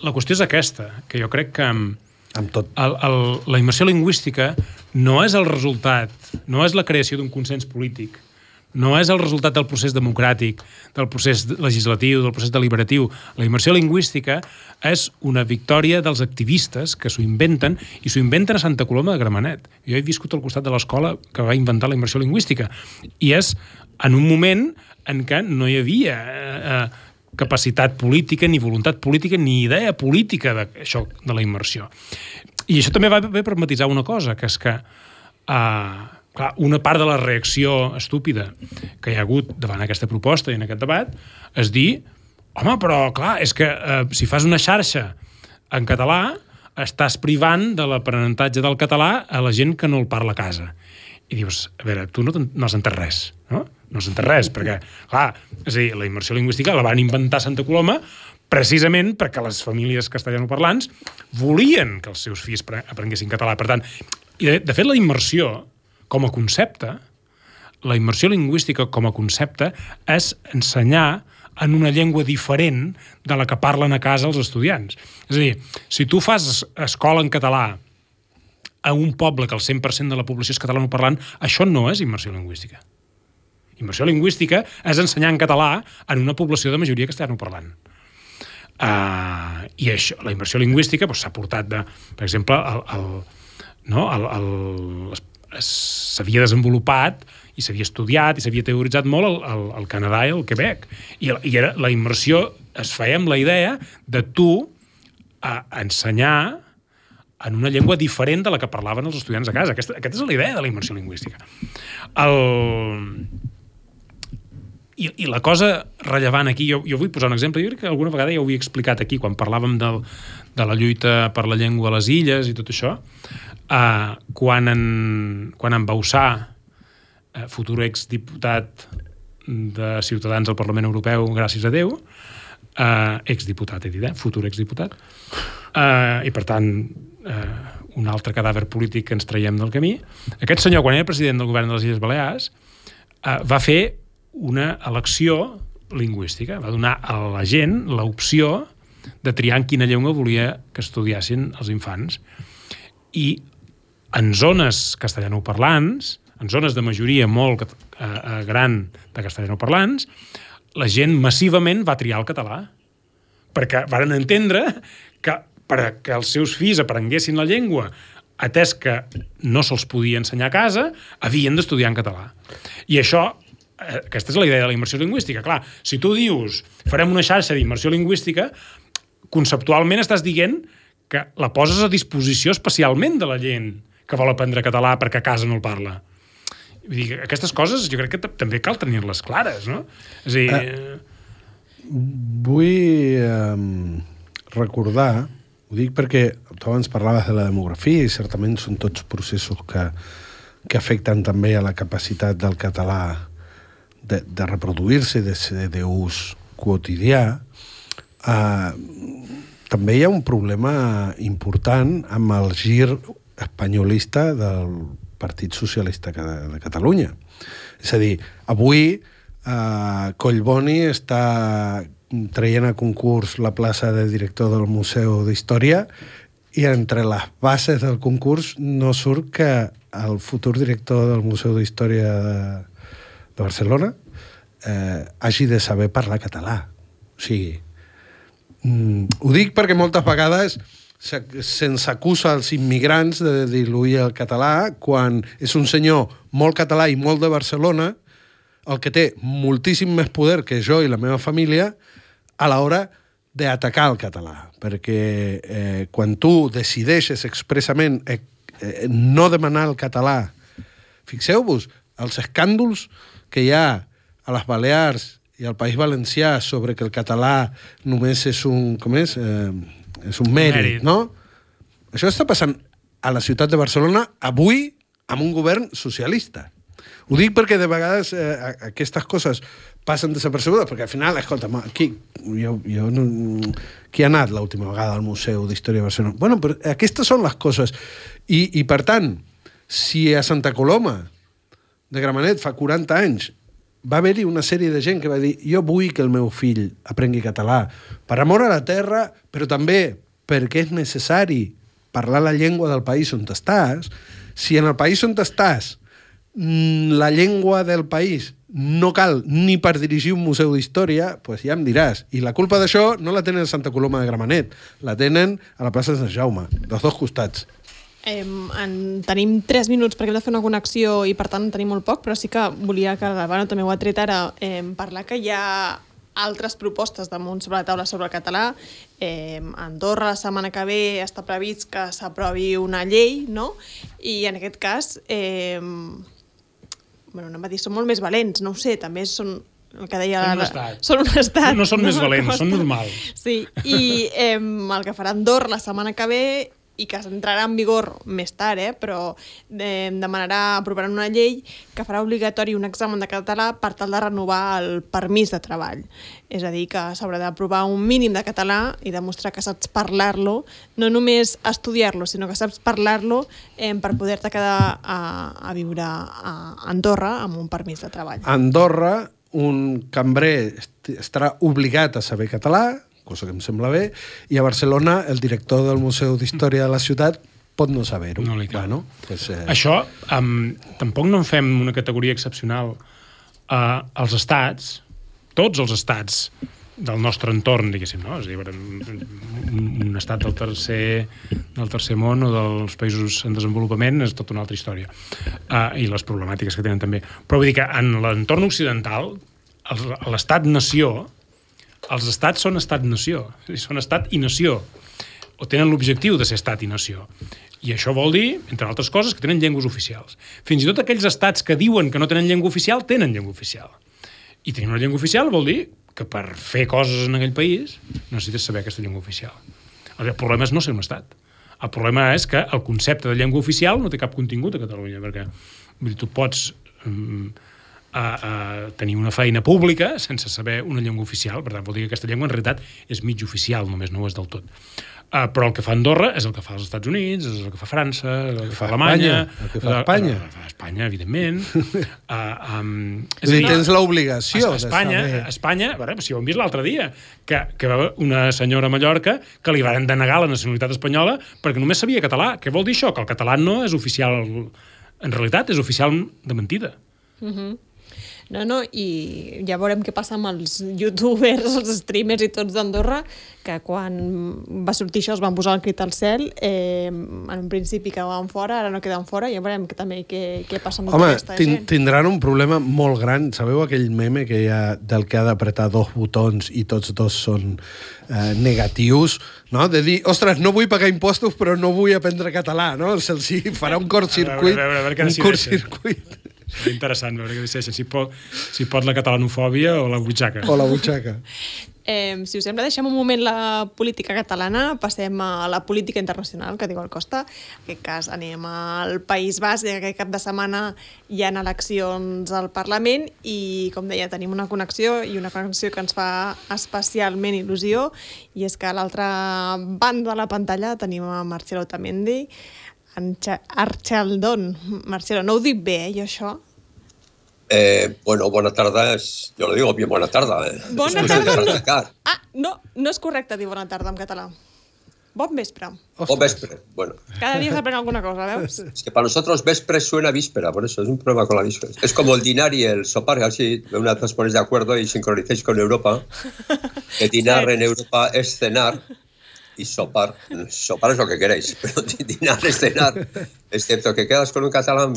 S3: la qüestió és aquesta, que jo crec que
S2: amb tot.
S3: La immersió lingüística no és el resultat, no és la creació d'un consens polític, no és el resultat del procés democràtic, del procés legislatiu, del procés deliberatiu. La immersió lingüística és una victòria dels activistes que s'ho inventen, i s'ho inventen a Santa Coloma de Gramenet. Jo he viscut al costat de l'escola que va inventar la immersió lingüística, i és en un moment en què no hi havia capacitat política, ni voluntat política, ni idea política d'això, de la immersió. I això també va bé per matisar una cosa, que és que clar, una part de la reacció estúpida que hi ha hagut davant aquesta proposta i en aquest debat és dir, home, però clar, és que si fas una xarxa en català estàs privant de l'aprenentatge del català a la gent que no el parla a casa. I dius, a veure, tu no has entès res, no? No has entès res, perquè, clar, és a dir, la immersió lingüística la van inventar a Santa Coloma precisament perquè les famílies castellanoparlants volien que els seus fills aprenguessin català. Per tant, i de fet, la immersió com a concepte, la immersió lingüística com a concepte és ensenyar en una llengua diferent de la que parlen a casa els estudiants. És a dir, si tu fas escola en català a un poble que el 100% de la població és catalanoparlant, això no és immersió lingüística. Immersió lingüística és ensenyar en català en una població de majoria castellanoparlant. I això, la immersió lingüística s'ha portat de, per exemple, s'havia desenvolupat i s'havia estudiat i s'havia teoritzat molt al Canadà i al Quebec. I la immersió es feia amb la idea de tu ensenyar en una llengua diferent de la que parlaven els estudiants a casa. Aquesta és la idea de la immersió lingüística. I la cosa rellevant aquí, jo vull posar un exemple, jo crec que alguna vegada ja ho havia explicat aquí, quan parlàvem de la lluita per la llengua a les illes i tot això, quan en Bauçà, futur exdiputat de Ciutadans al Parlament Europeu, gràcies a Déu, exdiputat, he dit, futur exdiputat, i per tant un altre cadàver polític que ens traiem del camí. Aquest senyor, quan era president del govern de les Illes Balears, va fer una elecció lingüística, va donar a la gent l'opció de triar en quina llengua volia que estudiassin els infants. I en zones castellanoparlants, en zones de majoria molt gran de castellanoparlants, la gent massivament va triar el català, perquè varen entendre que perquè els seus fills aprenguessin la llengua, atès que no se'ls podia ensenyar a casa, havien d'estudiar en català. I això, aquesta és la idea de la immersió lingüística. Clar, si tu dius, farem una xarxa d'immersió lingüística, conceptualment estàs dient que la poses a disposició especialment de la gent que vol aprendre català perquè a casa no el parla. Vull dir, aquestes coses jo crec que també cal tenir-les clares, no? És a dir...
S2: Vull recordar, ho dic perquè tu abans parlaves de la demografia i certament són tots processos que afecten també a la capacitat del català de reproduir-se, de ser d'ús quotidià. També hi ha un problema important amb el gir espanyolista del Partit Socialista de Catalunya. És a dir, avui Collboni està traient a concurs la plaça de director del Museu d'Història i entre les bases del concurs no surt que el futur director del Museu d'Història de Barcelona hagi de saber parlar català. O sigui, ho dic perquè moltes vegades se'ns acusa als immigrants de diluir el català quan és un senyor molt català i molt de Barcelona el que té moltíssim més poder que jo i la meva família a l'hora d'atacar el català. Perquè quan tu decideixes expressament no demanar el català, fixeu-vos, els escàndols que hi ha a les Balears i al País Valencià sobre que el català només és un... Com és? És un mèrit, no? Això està passant a la ciutat de Barcelona avui amb un govern socialista. Ho dic perquè de vegades aquestes coses passen desapercebudes, perquè al final, escolta, qui ha anat l'última vegada al Museu d'Història de Barcelona? Bueno, però aquestes són les coses. I per tant, si a Santa Coloma de Gramenet fa 40 anys va haver-hi una sèrie de gent que va dir jo vull que el meu fill aprengui català per amor a la terra, però també perquè és necessari parlar la llengua del país on estàs. Si en el país on estàs la llengua del país no cal ni per dirigir un museu d'història, doncs ja em diràs. I la culpa d'això no la tenen a Santa Coloma de Gramenet, la tenen a la plaça de Sant Jaume, dels dos costats.
S1: Tenim 3 minuts perquè hem de fer una connexió i per tant tenim molt poc, però sí que volia que l'Albano també ho ha tret ara, parlar que hi ha altres propostes damunt sobre la taula sobre el català. A Andorra la setmana que ve està previst que s'aprovi una llei, no? I en aquest cas anem a dir, són molt més valents, no ho sé, també són el que deia...
S3: Són un estat. No són més valents, són normals.
S1: Sí, i el que farà Andorra la setmana que ve i que entrarà en vigor més tard, però aprovaran una llei que farà obligatori un examen de català per tal de renovar el permís de treball. És a dir, que s'haurà d'aprovar un mínim de català i demostrar que saps parlar-lo, no només estudiar-lo, sinó que saps parlar-lo per poder-te quedar a viure a Andorra amb un permís de treball.
S2: A Andorra, un cambrer estarà obligat a saber català, cosa que em sembla bé, i a Barcelona el director del Museu d'Història de la ciutat pot no saber-ho.
S3: No li cal.
S2: Pues,
S3: Això, tampoc no en fem una categoria excepcional als estats, tots els estats del nostre entorn, diguéssim, no? És a dir, un estat del tercer món o dels països en desenvolupament és tota una altra història. I les problemàtiques que tenen també. Però vull dir que en l'entorn occidental, l'estat-nació, els estats són estat-nació, són estat i nació, o tenen l'objectiu de ser estat i nació. I això vol dir, entre altres coses, que tenen llengües oficials. Fins i tot aquells estats que diuen que no tenen llengua oficial, tenen llengua oficial. I tenir una llengua oficial vol dir que per fer coses en aquell país necessites saber aquesta llengua oficial. El problema és no ser un estat. El problema és que el concepte de llengua oficial no té cap contingut a Catalunya, perquè tu pots tenir una feina pública sense saber una llengua oficial. Per tant, vol dir que aquesta llengua en realitat és mig oficial, només no ho és del tot. Però el que fa Andorra és el que fa els Estats Units, és el que fa França, el que fa Alemanya,
S2: el que fa Espanya.
S3: Espanya, evidentment.
S2: És a dir, tens l'obligació de saber.
S3: Espanya, si ho hem vist l'altre dia, que va haver una senyora a Mallorca que li van denegar la nacionalitat espanyola perquè només sabia català. Què vol dir això? Que el català no és oficial, en realitat és oficial de mentida.
S1: No, i ja veurem què passa amb els youtubers, els streamers i tots d'Andorra, que quan va sortir això es van posar el crit al cel, en un principi quedaven fora, ara no queden fora, ja veurem també què passa amb tota aquesta gent.
S2: Tindran un problema molt gran. Sabeu aquell meme que hi ha del que ha d'apretar 2 botons i tots 2 són negatius, no? De dir, ostres, no vull pagar impostos però no vull aprendre català, no? Se'ls farà un curtcircuit. Un curtcircuit.
S3: És interessant veure què decideixen, si pot la catalanofòbia o la butxaca.
S2: O la butxaca.
S1: Si us sembla, deixem un moment la política catalana, passem a la política internacional, que diu el Costa. En aquest cas anem al País Basc, i aquest cap de setmana hi ha eleccions al Parlament i, com deia, tenim una connexió que ens fa especialment il·lusió, i és que a l'altra banda de la pantalla tenim a Marcelo Otamendi, Archaldón. Marcelo, no ho dic bé, jo això?
S4: Bueno, bona tarda, jo lo digo bien bona tarda.
S1: Bona tarda no és correcte dir bona tarda en català. Bon vespre.
S4: Bon vespre, bueno.
S1: Cada día se aprende alguna cosa, ¿veus?
S4: Es que para nosotros vespre suena víspera, por eso es un problema con la víspera. Es como el dinar y el sopar, así una vez os ponéis de acuerdo y sincronicéis con Europa. Que dinar en Europa es cenar y sopar. Sopar es lo que queréis, pero dinar es cenar. Excepto que quedas con un catalán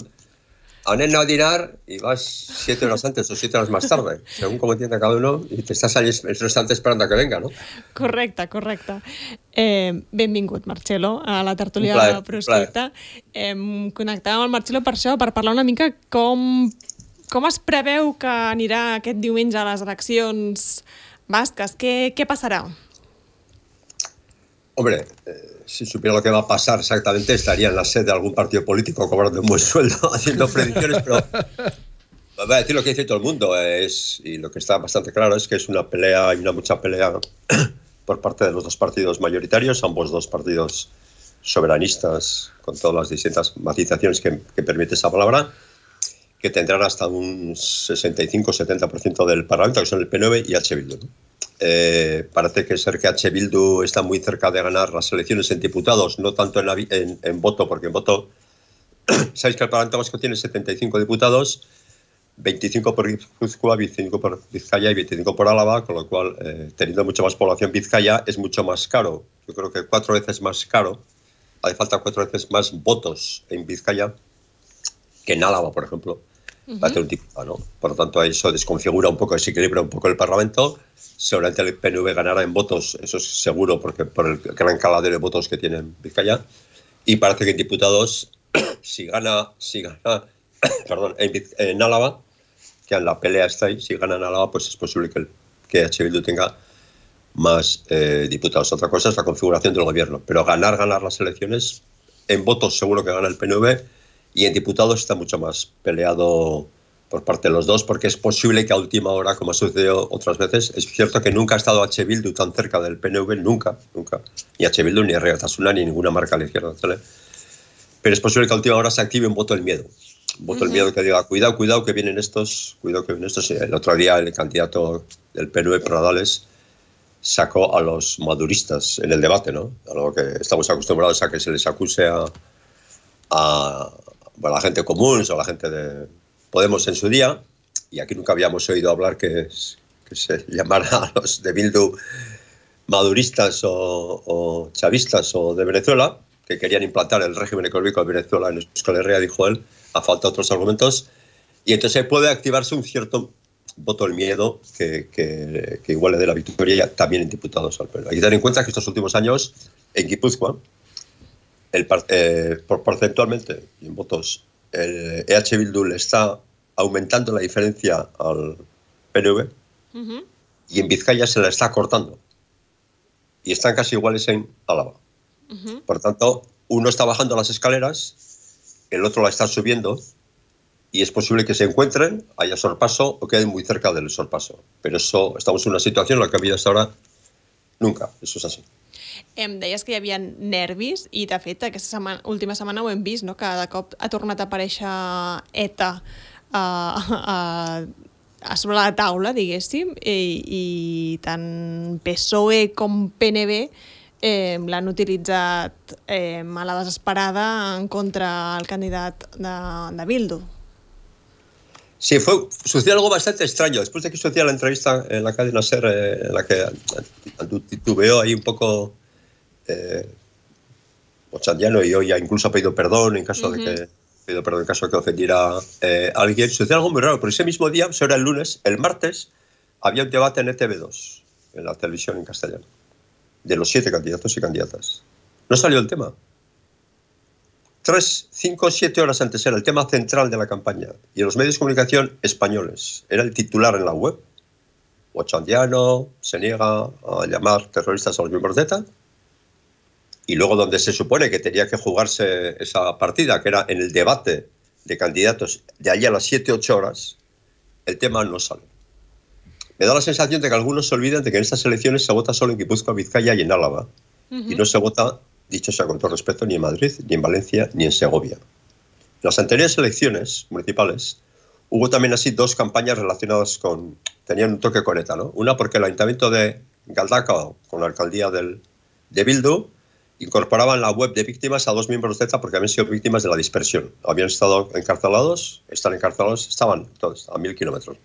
S4: anem a dinar y vas 7 horas antes o 7 horas más tarde, según como entienda cada uno, y te estás allí el restaurante esperando a que venga, ¿no?
S1: Correcte. Benvingut, Marcelo, a la tertúlia proscripta. Connectàvem amb el Marcelo per això, per parlar una mica com es preveu que anirà aquest diumenge a les eleccions basques. Què passarà?
S4: Hombre, si supiera lo que va a pasar exactamente, estaría en la sede de algún partido político cobrando un buen sueldo, haciendo predicciones, pero voy a decir lo que dice todo el mundo, y lo que está bastante claro es que es una pelea, hay mucha pelea por parte de los dos partidos mayoritarios, ambos dos partidos soberanistas, con todas las distintas matizaciones que permite esa palabra, que tendrán hasta un 65-70% del Parlamento, que son el PNV y H. Bildu, ¿no? Parece ser que H. Bildu está muy cerca de ganar las elecciones en diputados, no tanto en voto, porque en voto sabéis que el Parlamento Vasco tiene 75 diputados, 25 por Guipúzcoa, 25 por Vizcaya y 25 por Álava, con lo cual, teniendo mucha más población, Vizcaya es mucho más caro. Yo creo que 4 veces más caro, hace falta 4 veces más votos en Vizcaya que en Álava, por ejemplo, para tener un diputado, ¿no? Por lo tanto, eso desconfigura un poco, desequilibra un poco el Parlamento. Seguramente el PNV ganará en votos, eso es seguro, porque por el gran caladero de votos que tiene en Vizcaya. Y parece que en diputados, si gana en Álava, que en la pelea está ahí, si gana en Álava, pues es posible que H. Bildu tenga más diputados. Otra cosa es la configuración del gobierno, pero ganar las elecciones, en votos seguro que gana el PNV, y en diputados está mucho más peleado por parte de los dos, porque es posible que a última hora, como ha sucedido otras veces, es cierto que nunca ha estado H. Bildu tan cerca del PNV, nunca, ni H. Bildu, ni Erregatasuna, ni ninguna marca a la izquierda, ¿vale? Pero es posible que a última hora se active un voto del miedo. Un voto del miedo que diga, cuidado que vienen estos, El otro día el candidato del PNV, Pradales, sacó a los maduristas en el debate, ¿no? A lo que estamos acostumbrados a que se les acuse a la gente común o a la gente de Podemos en su día, y aquí nunca habíamos oído hablar que se llamara a los de Bildu maduristas o chavistas o de Venezuela, que querían implantar el régimen económico de Venezuela en Euskal Herria, dijo él, a falta de otros argumentos, y entonces puede activarse un cierto voto del miedo que igual le dé la victoria también en diputados al PNV. Hay que tener en cuenta que estos últimos años en Guipúzcoa, porcentualmente y en votos, el EH Bildu le está aumentando la diferencia al PNV y en Vizcaya se la está cortando. Y están casi iguales en Álava. Por tanto, uno está bajando las escaleras, el otro la está subiendo, y es posible que se encuentren, haya sorpaso o queden muy cerca del sorpaso. Pero eso, estamos en una situación en la que ha habido hasta ahora nunca. Eso es así.
S1: Em deies que hi havia nervis i, de fet, aquesta última setmana ho hem vist, no? Que de cop ha tornat a aparèixer ETA a sobre la taula, diguéssim, i tant PSOE com PNV l'han utilitzat a la desesperada en contra el candidat de Bildu.
S4: Sí, sucedió algo bastante extraño. Después de que sucedió la entrevista en la cadena SER, en la que titubeó ahí un poco Ochandiano, y hoy ya incluso ha pedido perdón en caso de que ofendiera a alguien, sucedió algo muy raro, pero ese mismo día, eso era el lunes, el martes, había un debate en ETV2, en la televisión en castellano, de los 7 candidatos y candidatas. No salió el tema. 3, 5, 7 horas antes era el tema central de la campaña, y en los medios de comunicación españoles era el titular en la web. Ochandiano se niega a llamar terroristas a los miembros de ETA, y luego donde se supone que tenía que jugarse esa partida, que era en el debate de candidatos de allí a las 7-8 horas, el tema no sale. Me da la sensación de que algunos se olvidan de que en estas elecciones se vota solo en Guipúzcoa, Vizcaya y en Álava, y no se vota, dicho sea con todo respeto, ni en Madrid, ni en Valencia, ni en Segovia. En las anteriores elecciones municipales hubo también así dos campañas relacionadas con... Tenían un toque con ETA, ¿no? Una porque el Ayuntamiento de Galdacao, con la alcaldía de Bildu, incorporaban la web de víctimas a 2 miembros de ETA porque habían sido víctimas de la dispersión. Habían estado encarcelados, estaban todos a 1000 kilómetros.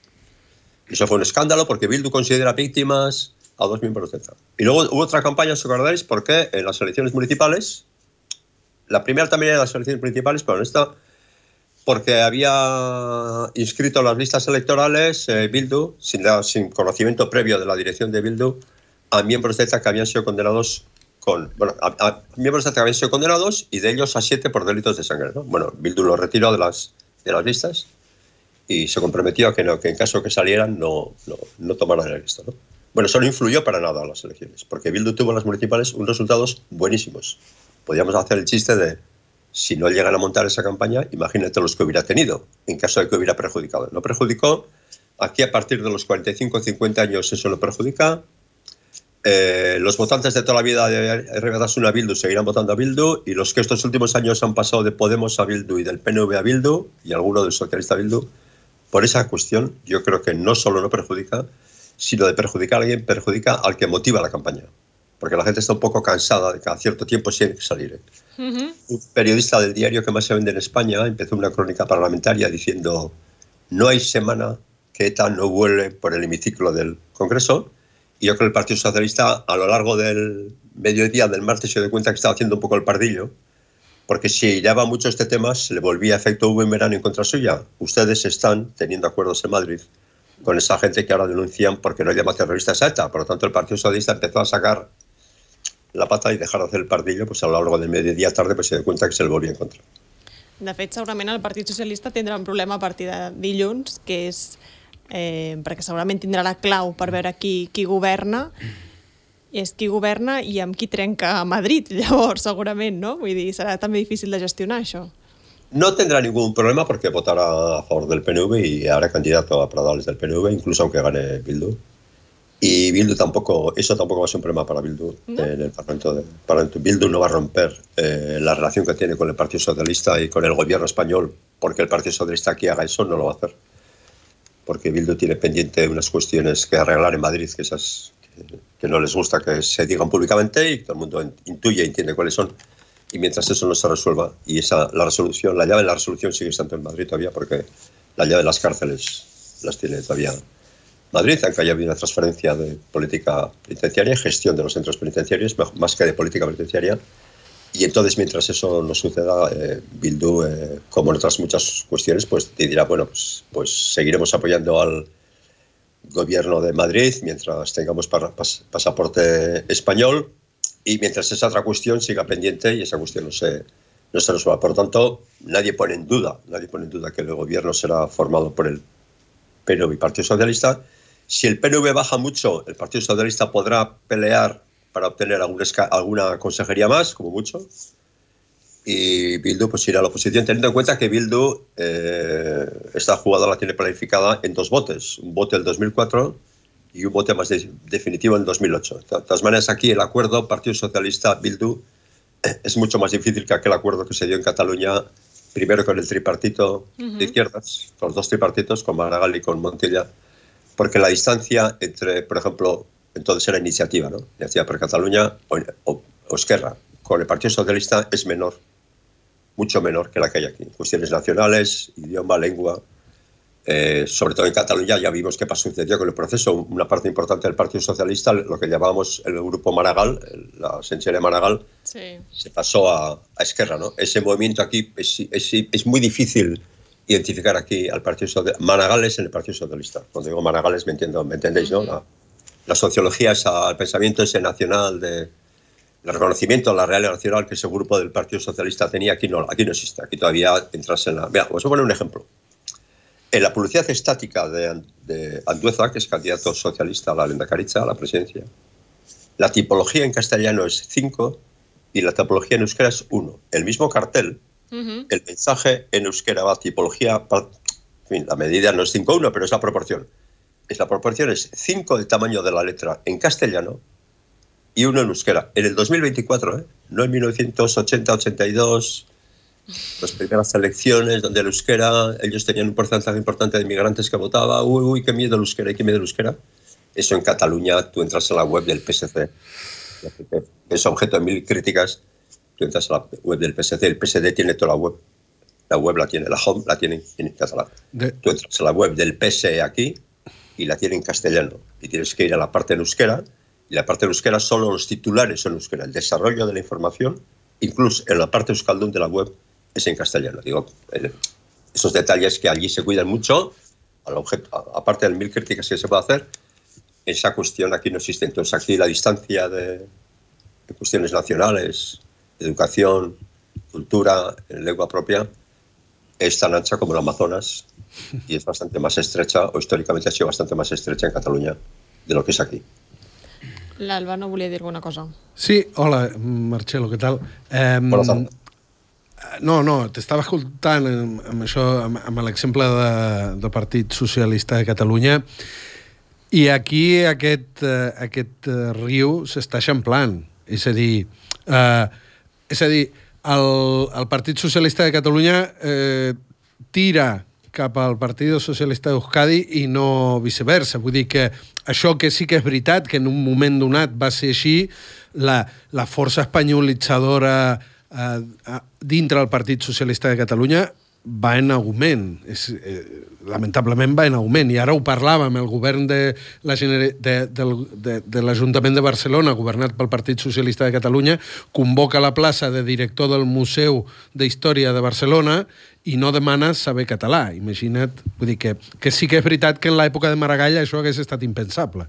S4: Y eso fue un escándalo porque Bildu considera víctimas a 2 miembros de ETA. Y luego hubo otra campaña, ¿os acordáis? Porque en las elecciones municipales, la primera también era las elecciones municipales, pero en esta, porque había inscrito en las listas electorales Bildu, sin conocimiento previo de la dirección de Bildu, a miembros de ETA que habían sido condenados a miembros de ETA que habían sido condenados y de ellos a 7 por delitos de sangre, ¿no? Bueno, Bildu lo retiró de las listas y se comprometió a que en caso de que salieran no tomaran la lista, ¿no? Bueno, eso no influyó para nada a las elecciones, porque Bildu tuvo en las municipales unos resultados buenísimos. Podríamos hacer el chiste de, si no llegan a montar esa campaña, imagínate los que hubiera tenido, en caso de que hubiera perjudicado. No perjudicó, aquí a partir de los 45 o 50 años eso no perjudica. Los votantes de toda la vida de RB Batasuna a Bildu seguirán votando a Bildu, y los que estos últimos años han pasado de Podemos a Bildu y del PNV a Bildu, y alguno del socialista a Bildu, por esa cuestión yo creo que no solo no perjudica, sino de perjudicar a alguien, perjudica al que motiva la campaña. Porque la gente está un poco cansada de que a cierto tiempo tiene que salir. Un periodista del diario que más se vende en España empezó una crónica parlamentaria diciendo: no hay semana que ETA no vuele por el hemiciclo del Congreso. Y yo creo que el Partido Socialista, a lo largo del mediodía del martes, se dio cuenta que estaba haciendo un poco el pardillo, porque si iraba mucho este tema, se le volvía efecto boomerang en contra suya. Ustedes están teniendo acuerdos en Madrid con esa gente que ahora denuncian porque no llama terroristas a ETA. Por lo tanto, el Partido Socialista empezó a sacar la pata y dejar de hacer el pardillo, pues a lo largo del mediodía tarde pues se dio cuenta que se le volvia en contra.
S1: De fet, segurament el Partit Socialista tindrà un problema a partir de dilluns, que és perquè segurament tindrà la clau per veure qui governa, és qui governa i amb qui trenca a Madrid, llavors, segurament, no? Vull dir, serà també difícil de gestionar, això.
S4: No tendrá ningún problema porque votará a favor del PNV y hará candidato a Pradales del PNV, incluso aunque gane Bildu. Y Bildu eso tampoco va a ser un problema para Bildu, ¿no? En el Parlamento. Bildu no va a romper la relación que tiene con el Partido Socialista y con el gobierno español, porque el Partido Socialista aquí haga eso, no lo va a hacer. Porque Bildu tiene pendiente unas cuestiones que arreglar en Madrid, que no les gusta que se digan públicamente y todo el mundo intuye y entiende cuáles son. Y mientras eso no se resuelva, y la llave de la resolución sigue estando en Madrid todavía, porque la llave de las cárceles las tiene todavía Madrid, aunque haya habido una transferencia de política penitenciaria, gestión de los centros penitenciarios, más que de política penitenciaria. Y entonces, mientras eso no suceda, Bildu, como en otras muchas cuestiones, pues te dirá, bueno, pues seguiremos apoyando al gobierno de Madrid mientras tengamos pasaporte español, y mientras esa otra cuestión siga pendiente y esa cuestión no se resuelva. Por lo tanto, nadie pone en duda que el gobierno será formado por el PNV y Partido Socialista. Si el PNV baja mucho, el Partido Socialista podrá pelear para obtener alguna consejería más, como mucho, y Bildu pues irá a la oposición, teniendo en cuenta que Bildu esta jugada la tiene planificada en 2 botes, un bote del 2004 y un bote más definitivo en 2008. De todas maneras, aquí el acuerdo Partido Socialista-Bildu es mucho más difícil que aquel acuerdo que se dio en Cataluña, primero con el tripartito de izquierdas, con los 2 tripartitos, con Maragall y con Montilla, porque la distancia entre, por ejemplo, entonces era Iniciativa, ¿no? Iniciativa per Catalunya o Esquerra, con el Partido Socialista es menor, mucho menor que la que hay aquí. Cuestiones nacionales, idioma, lengua, sobre todo en Cataluña ya vimos qué sucedió con el proceso. Una parte importante del Partido Socialista, lo que llamábamos el grupo Maragall, la sensibilidad de Maragall, sí, se pasó a Esquerra, ¿no? Ese movimiento aquí es muy difícil identificar aquí al Partido Socialista. Maragall es en el Partido Socialista. Cuando digo Maragall me entendéis, ¿no? La sociología, el pensamiento ese nacional de el reconocimiento a la realidad nacional que ese grupo del Partido Socialista tenía, aquí no existe. Aquí todavía entras en la... Mira, os voy a poner un ejemplo. En la publicidad estática de Andueza, que es candidato socialista a la lehendakaritza, a la presidencia, la tipología en castellano es 5 y la tipología en euskera es 1. El mismo cartel, el mensaje en euskera va a tipología... En fin, la medida no es 5-1, pero es la proporción. La proporción es 5 del tamaño de la letra en castellano y 1 en euskera. En el 2024, no en 1980, 82, las primeras elecciones donde el euskera, ellos tenían un porcentaje importante de inmigrantes que votaba, uy, qué miedo el euskera, qué miedo el euskera. Eso en Cataluña, tú entras a la web del PSC, es objeto de 1000 críticas, tú entras a la web del PSC, el PSD tiene toda la web la tiene, la home la tiene en catalán. Tú entras a la web del PSE aquí y la tiene en castellano, y tienes que ir a la parte en euskera, y la parte en euskera solo los titulares son en euskera, el desarrollo de la información, incluso en la parte euskaldun de la web, es en castellano. Digo, esos detalles que allí se cuidan mucho, al objeto, aparte de 1000 críticas que se puede hacer, esa cuestión aquí no existe. Entonces aquí la distancia de cuestiones nacionales, educación, cultura, lengua propia, es tan ancha como el Amazonas y es bastante más estrecha, o históricamente ha sido bastante más estrecha en Cataluña de lo que es aquí.
S1: L'Alba no volia dir alguna cosa.
S2: Sí, hola, Marcelo, què tal?
S4: Bona tarda.
S2: No, t'estava escoltant amb això, amb l'exemple del Partit Socialista de Catalunya, i aquí aquest riu s'està eixamplant. És a dir, el Partit Socialista de Catalunya tira cap al Partit Socialista d'Euskadi i no viceversa. Vull dir que això que sí que és veritat, que en un moment donat va ser així, la força espanyolitzadora dintre del Partit Socialista de Catalunya va en augment. Lamentablement va en augment. I ara ho parlàvem, el govern de l'Ajuntament de Barcelona, governat pel Partit Socialista de Catalunya, convoca la plaça de director del Museu d'Història de Barcelona i no demana saber català. Imagina't, vull dir que sí que és veritat que en l'època de Maragall això hagués estat impensable.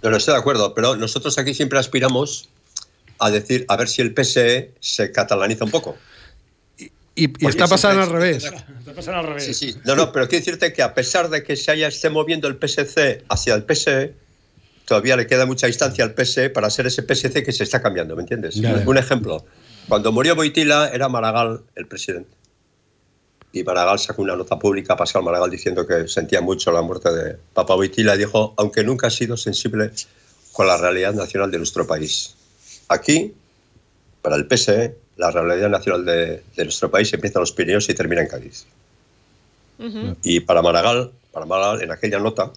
S4: No, estoy de acuerdo, pero nosotros aquí siempre aspiramos a decir, a ver si el PSE se catalaniza un poco.
S2: Y está pasando al revés.
S3: Está pasando al revés.
S4: Sí. No, pero quiero decirte que a pesar de que se esté moviendo el PSC hacia el PSE, todavía le queda mucha distancia al PSE para ser ese PSC que se está cambiando, ¿me entiendes? Ya. Un ejemplo, cuando murió Boitila era Maragall el presidente. Y Maragall sacó una nota pública, Pascal Maragall, diciendo que sentía mucho la muerte de Papa Boitila, y dijo, aunque nunca ha sido sensible con la realidad nacional de nuestro país. Aquí, para el PSE, la realidad nacional de nuestro país empieza en los Pirineos y termina en Cádiz. Y para Maragall, en aquella nota,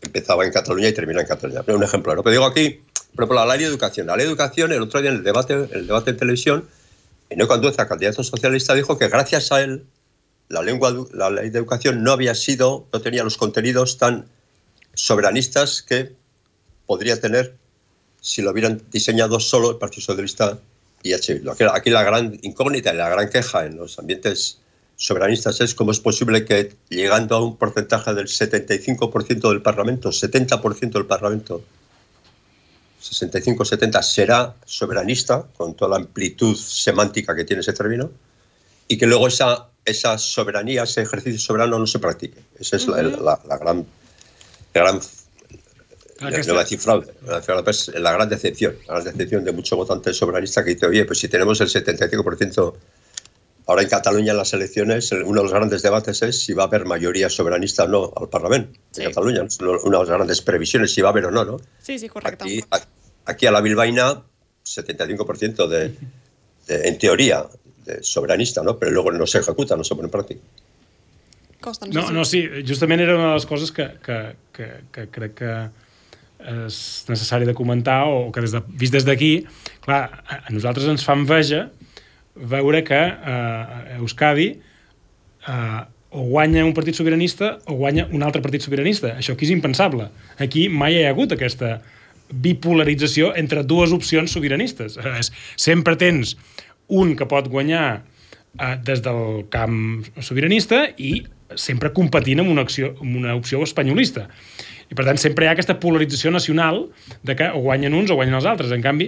S4: empezaba en Cataluña y termina en Cataluña. Pero un ejemplo, ¿no? Pero digo aquí, por ejemplo, la ley de educación. La ley de educación, el otro día en el debate en televisión, Inoico Andueza, candidato socialista, dijo que gracias a él la ley de educación no tenía los contenidos tan soberanistas que podría tener si lo hubieran diseñado solo el Partido Socialista y H. Bildu. Aquí la gran incógnita y la gran queja en los ambientes soberanistas es cómo es posible que, llegando a un porcentaje del 75% del Parlamento, 70% del Parlamento, 65-70, será soberanista, con toda la amplitud semántica que tiene ese término, y que luego esa soberanía, ese ejercicio soberano no se practique. Esa es la gran no voy a decir fraude, la gran decepción de muchos votantes soberanistas que dicen, oye, pues si tenemos el 75%, ahora en Cataluña en las elecciones, uno de los grandes debates es si va a haber mayoría soberanista o no al Parlamento de Cataluña. Es una de las grandes previsiones, si va a haber o no, ¿no?
S1: Sí, correcto.
S4: Aquí a la bilbaína, 75% en teoría, de soberanista, ¿no? Pero luego no se ejecuta, no se pone en práctica.
S3: Sí, justament era una de les coses que crec que és necessari de comentar, o que vist des d'aquí, clar, a nosaltres ens fa enveja veure que a Euskadi o guanya un partit sobiranista o guanya un altre partit sobiranista. Això aquí és impensable. Aquí mai hi ha hagut aquesta bipolarització entre dues opcions sobiranistes. Sempre tens un que pot guanyar des del camp sobiranista i sempre competint amb una opció espanyolista. I, per tant, sempre hi ha aquesta polarització nacional de que o guanyen uns o guanyen els altres. En canvi,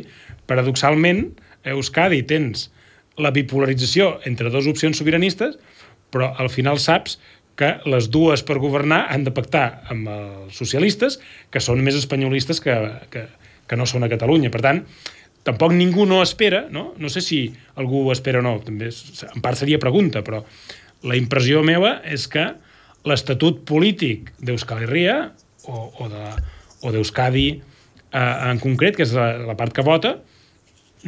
S3: paradoxalment, a Euskadi tens la bipolarització entre dues opcions sobiranistes, però al final saps que les dues per governar han de pactar amb els socialistes, que són més espanyolistes que no són a Catalunya. Per tant, tampoc ningú no espera, no? No sé si algú ho espera o no, també en part seria pregunta, però la impressió meva és que l'estatut polític d'Euskal Herria o d'Euskadi en concret, que és la part que vota,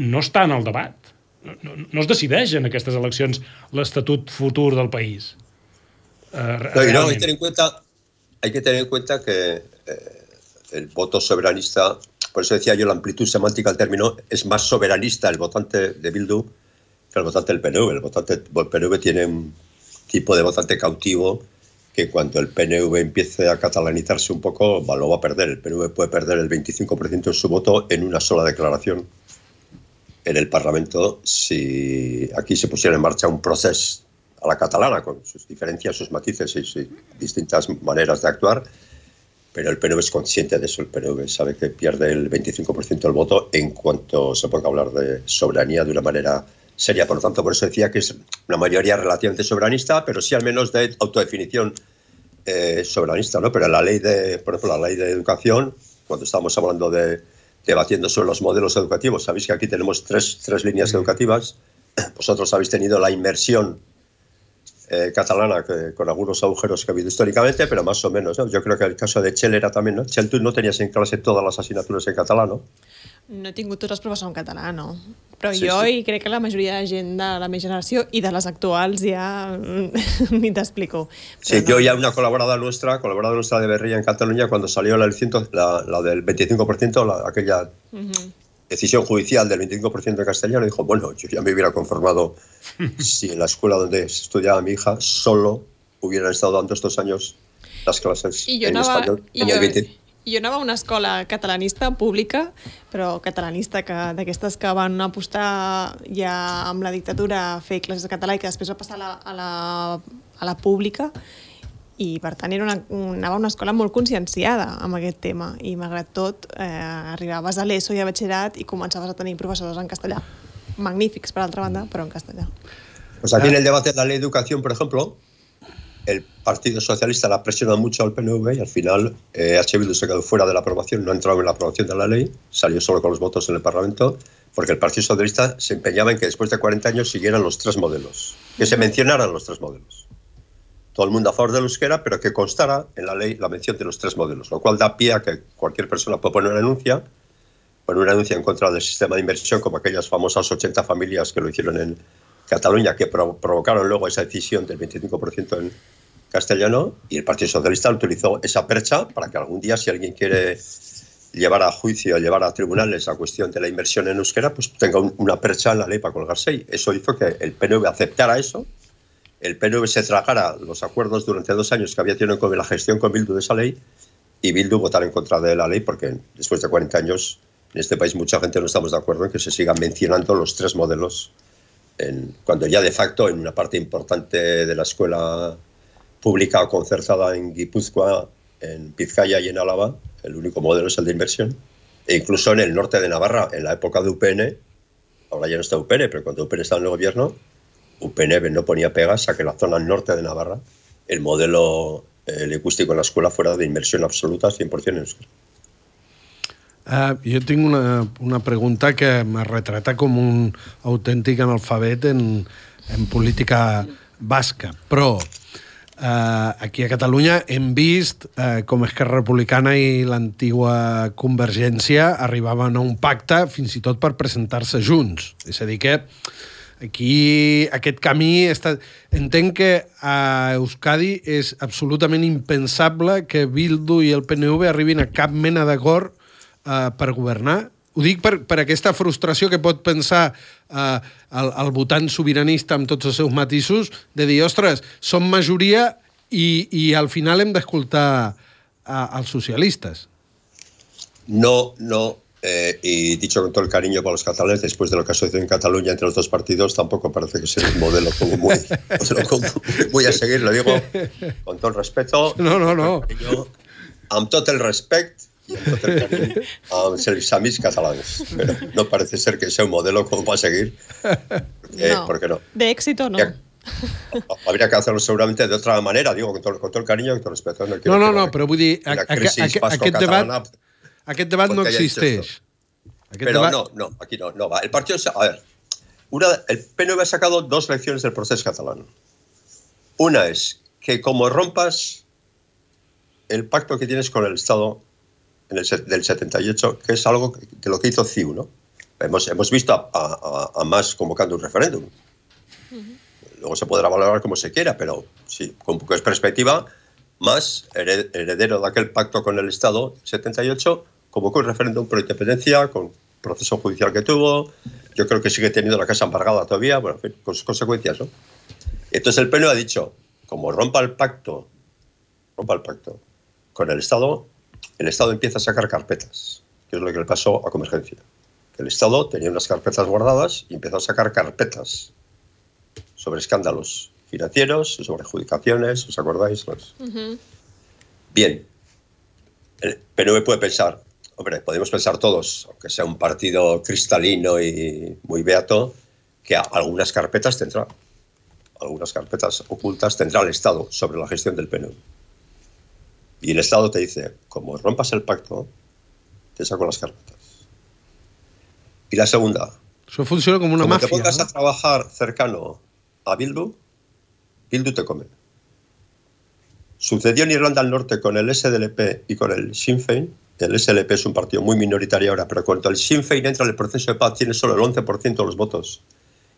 S3: no està en el debat. no es decideix en aquestes eleccions l'estatut futur del país.
S4: No, hay que tener en cuenta que el voto soberanista, por eso decía yo, la amplitud semántica del término, es más soberanista el votante de Bildu que el votante del PNV. El PNV tiene un tipo de votante cautivo que cuando el PNV empiece a catalanizarse un poco, lo va a perder. El PNV puede perder el 25% de su voto en una sola declaración en el Parlamento si aquí se pusiera en marcha un proceso a la catalana, con sus diferencias, sus matices y sus distintas maneras de actuar, pero el PNV es consciente de eso. El PNV sabe que pierde el 25% del voto en cuanto se ponga a hablar de soberanía de una manera seria. Por lo tanto, por eso decía que es una mayoría relativamente soberanista, pero sí al menos de autodefinición soberanista, ¿no? Pero la ley por ejemplo, la ley de educación, cuando estábamos hablando debatiendo sobre los modelos educativos, sabéis que aquí tenemos tres líneas educativas. Vosotros habéis tenido la inmersión catalana, con algunos agujeros que ha habido históricamente, pero más o menos, ¿no? Yo creo que el caso de Chel era también, ¿no? Chel, tú no tenías en clase todas las asignaturas en catalán, ¿no?
S1: No he tingut tots els professors en català, no. Però sí, jo i crec que la majoria de gent de la meva generació i de les actuals ja ni t'explico.
S4: Sí, no. Yo ya una colaboradora nuestra de Berria en Cataluña, cuando salió la elección, la del 25%, aquella decisión judicial del 25% de castellano, dijo, bueno, yo ya me hubiera conformado si en la escuela donde estudiaba mi hija solo hubieran estado dando estos años las clases en español.
S1: Jo anava a una escola catalanista pública, però catalanista d'aquestes que van apostar ja amb la dictadura a fer classes de català i que després va passar a la pública, i per tant anava a una escola molt conscienciada amb aquest tema, i malgrat tot arribaves a l'ESO i a batxillerat i començaves a tenir professors en castellà. Magnífics, per altra banda, però en castellà.
S4: Pues aquí en el debate de la ley de educación, por ejemplo, el Partido Socialista la presiona mucho al PNV y al final H. Bildu se quedó fuera de la aprobación, no entraba en la aprobación de la ley, salió solo con los votos en el Parlamento, porque el Partido Socialista se empeñaba en que después de 40 años siguieran los tres modelos, que se mencionaran los tres modelos. Todo el mundo a favor del euskera, pero que constara en la ley la mención de los tres modelos, lo cual da pie a que cualquier persona pueda poner una denuncia en contra del sistema de inversión, como aquellas famosas 80 familias que lo hicieron en Cataluña, que provocaron luego esa decisión del 25% en castellano, y el Partido Socialista utilizó esa percha para que algún día, si alguien quiere llevar a juicio, llevar a tribunales la cuestión de la inversión en euskera, pues tenga una percha en la ley para colgarse. Y eso hizo que el PNV aceptara eso, el PNV se tragara los acuerdos durante 2 años que había tenido con la gestión con Bildu de esa ley, y Bildu votara en contra de la ley, porque después de 40 años en este país mucha gente no estamos de acuerdo en que se sigan mencionando los tres modelos, cuando ya de facto en una parte importante de la escuela pública o concertada en Guipúzcoa, en Vizcaya y en Álava, el único modelo es el de inversión. E incluso en el norte de Navarra, en la época de UPN, ahora ya no está UPN, pero cuando UPN estaba en el gobierno, UPN no ponía pegas a que la zona norte de Navarra, el modelo lingüístico en la escuela fuera de inmersión absoluta, 100% en euskera.
S2: Jo tinc una pregunta que me retrata com un autèntic analfabet en política basca, però aquí a Catalunya hem vist com Esquerra Republicana i l'antigua Convergència arribaven a un pacte fins i tot per presentar-se junts. És a dir que aquí aquest camí entenc que a Euskadi és absolutament impensable que Bildu i el PNV arribin a cap mena d'acord per governar. Ho dic per aquesta frustració que pot pensar el votant sobiranista amb tots els seus matisos, de dir, ostres, som majoria i al final hem d'escoltar als socialistes.
S4: No, y dicho con todo el cariño para los catalanes, después de lo que ha sucedido en Cataluña entre los dos partidos, tampoco parece que sea un modelo como muy a seguir, lo digo con todo el respeto.
S2: No.
S4: Amb tot el respecte y amb els amics catalans. Pero no parece ser que sea un modelo como para seguir. ¿Por qué no?
S1: De éxito no.
S4: Habría que hacerlo seguramente de otra manera, digo, con todo el cariño y con todo el respeto.
S2: No, però vull dir, aquest debat no existeix.
S4: Pero no, aquí no va. El partido, a ver, el PNV ha sacado 2 lecciones del proceso catalán. Una es que como rompas el pacto que tienes con el Estado del 78, que es algo de lo que hizo CiU, ¿no? Hemos visto a Mas convocando un referéndum. Luego se podrá valorar como se quiera, pero sí, con un poco de perspectiva, Mas, heredero de aquel pacto con el Estado, 78, convocó un referéndum por independencia, con proceso judicial que tuvo. Yo creo que sigue teniendo la casa embargada todavía, bueno, en fin, con sus consecuencias, ¿no? Entonces el PNV ha dicho, como rompa el pacto con el Estado empieza a sacar carpetas, que es lo que le pasó a Convergencia. El Estado tenía unas carpetas guardadas y empezó a sacar carpetas sobre escándalos financieros, sobre adjudicaciones, ¿os acordáis? Bien, el PNV puede pensar, hombre, podemos pensar todos, aunque sea un partido cristalino y muy beato, que algunas carpetas ocultas tendrá el Estado sobre la gestión del PNV. Y el Estado te dice, como rompas el pacto, te saco las carpetas. Y la segunda,
S2: eso funciona como una
S4: como
S2: mafia,
S4: te pongas,
S2: ¿no?,
S4: a trabajar cercano a Bildu te come. Sucedió en Irlanda del Norte con el SDLP y con el Sinn Féin. El SDLP es un partido muy minoritario ahora, pero cuando el Sinn Féin entra en el proceso de paz tiene solo el 11% de los votos.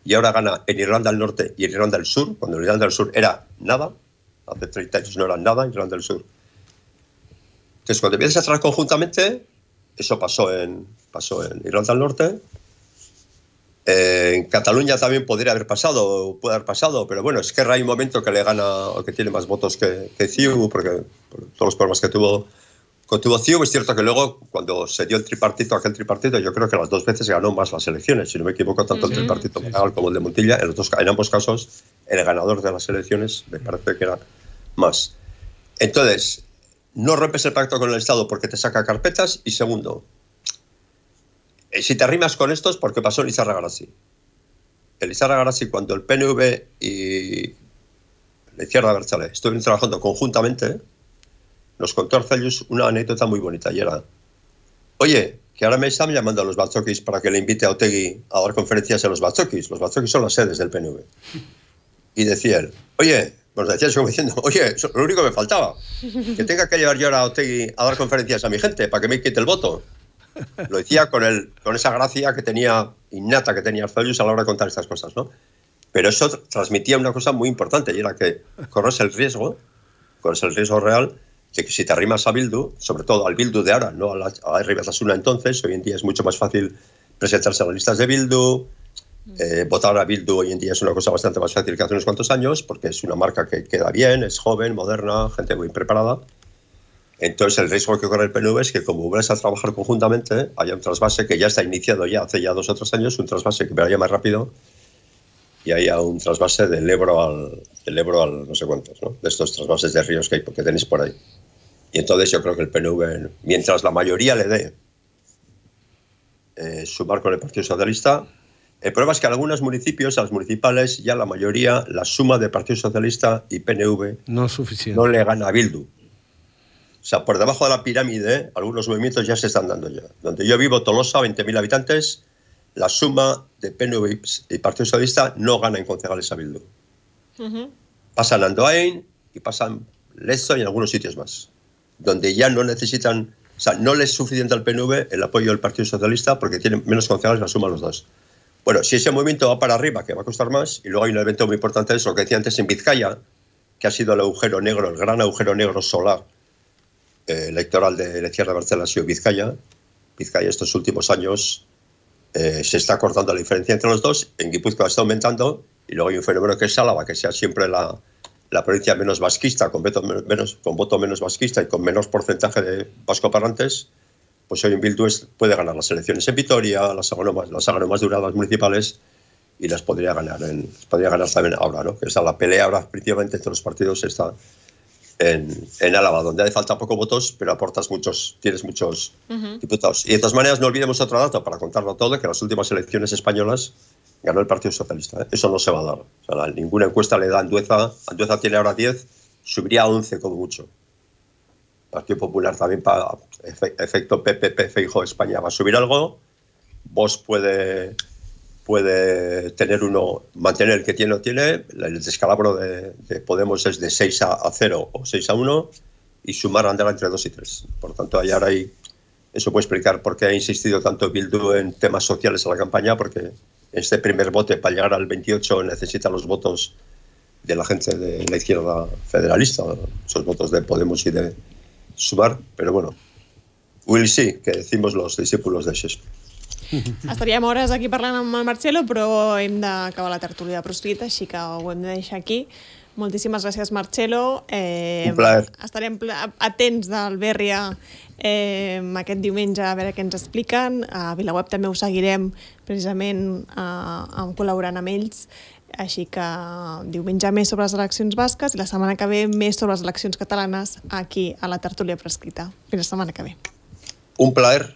S4: Y ahora gana en Irlanda del Norte y en Irlanda del Sur, cuando en Irlanda del Sur era nada, hace 30 años no era nada en Irlanda del Sur. Entonces, cuando empiezas a trabajar conjuntamente, eso pasó en Irlanda del Norte. En Cataluña también puede haber pasado, pero bueno, es que hay un momento que le gana o que tiene más votos que CiU, porque por todos los problemas que tuvo CiU. Es cierto que luego, cuando se dio aquel tripartito, yo creo que las dos veces ganó más las elecciones, si no me equivoco, tanto el tripartito como el de Montilla. En ambos casos, el ganador de las elecciones me parece que era Mas. Entonces, no rompes el pacto con el Estado porque te saca carpetas. Y segundo, si te arrimas con estos, porque pasó en Lizarra Garasi. El Lizarra Garasi, cuando el PNV y la izquierda abertzale estuvieron trabajando conjuntamente, nos contó Arzallus una anécdota muy bonita, y era, oye, que ahora me están llamando a los batzokis para que le invite a Otegi a dar conferencias en los batzokis. Los batzokis son las sedes del PNV. Y decía él, oye, nos decía eso como diciendo, oye, lo único que me faltaba, que tenga que llevar yo ahora a Otegi a dar conferencias a mi gente para que me quite el voto. Lo decía con esa gracia que tenía, innata que tenía Arzallus a la hora de contar estas cosas, ¿no? Pero eso transmitía una cosa muy importante, y era que corres el riesgo real de que si te arrimas a Bildu, sobre todo al Bildu de ahora, no a Herri Batasuna entonces, hoy en día es mucho más fácil presentarse a las listas de Bildu, votar a Bildu hoy en día es una cosa bastante más fácil que hace unos cuantos años, porque es una marca que queda bien, es joven, moderna, gente muy preparada. Entonces el riesgo que corre el PNV es que, como vuelves a trabajar conjuntamente, haya un trasvase que ya está iniciado hace 2 o 3 años, un trasvase que vaya más rápido, y haya un trasvase del Ebro al no sé cuántos, ¿no? De estos trasvases de ríos que tenéis por ahí. Y entonces yo creo que el PNV, mientras la mayoría le dé sumar con el Partido Socialista, el problema es que a algunos municipios, a los municipales, ya la mayoría, la suma de Partido Socialista y PNV
S2: no es suficiente,
S4: no le gana a Bildu. O sea, por debajo de la pirámide, algunos movimientos ya se están dando ya. Donde yo vivo, Tolosa, 20.000 habitantes, la suma de PNV y Partido Socialista no gana en concejales a Bildu. Pasan Andoain y pasan Lezo y en algunos sitios más, donde ya no necesitan, o sea, no les es suficiente al PNV el apoyo del Partido Socialista porque tienen menos concejales, la suma los dos. Bueno, si ese movimiento va para arriba, que va a costar más, y luego hay un evento muy importante, es lo que decía antes en Vizcaya, que ha sido el agujero negro, el gran agujero negro solar electoral de la izquierda abertzale, ha sido Vizcaya. Vizcaya estos últimos años se está cortando la diferencia entre los dos, en Guipúzcoa está aumentando, y luego hay un fenómeno que es Álava, que sea siempre la provincia menos vasquista, con voto menos vasquista y con menos porcentaje de vascoparlantes. Pues hoy en Bildu puede ganar las elecciones en Vitoria, las hagan más duradas municipales, y las podría ganar también ahora, ¿no? Que está la pelea ahora principalmente entre los partidos está en Álava, donde hace falta pocos votos, pero tienes muchos diputados. Y de todas maneras, no olvidemos otro dato para contarlo todo, que en las últimas elecciones españolas ganó el Partido Socialista, ¿eh? Eso no se va a dar. O sea, ninguna encuesta le da a Andueza. Andueza tiene ahora 10, subiría a 11 como mucho. Partido Popular también, para efecto PPP, Feijóo, España va a subir algo. Vox puede mantener el que tiene o tiene. El descalabro de Podemos es de 6-0 o 6-1, y sumar andará entre 2 y 3. Por tanto, ahora hay Eso puede explicar por qué ha insistido tanto Bildu en temas sociales en la campaña, porque este primer bote para llegar al 28 necesita los votos de la gente de la izquierda federalista, esos votos de Podemos y de Sumar, pero bueno, we'll see, que decimos los discípulos de Shakespeare.
S1: Estaríem hores aquí parlant amb el Marcelo, però hem d'acabar la tertúlia proscrita, així que ho hem de deixar aquí. Moltíssimes gràcies, Marcelo.
S4: Un plaer.
S1: Estarem atents d'Albèrria aquest diumenge a veure què ens expliquen. A VilaWeb també ho seguirem precisament col·laborant amb ells. Així que diumenge més sobre les eleccions basques i la setmana que ve més sobre les eleccions catalanes aquí a la tertúlia prescrita. Fins la setmana que ve.
S4: Un plaer.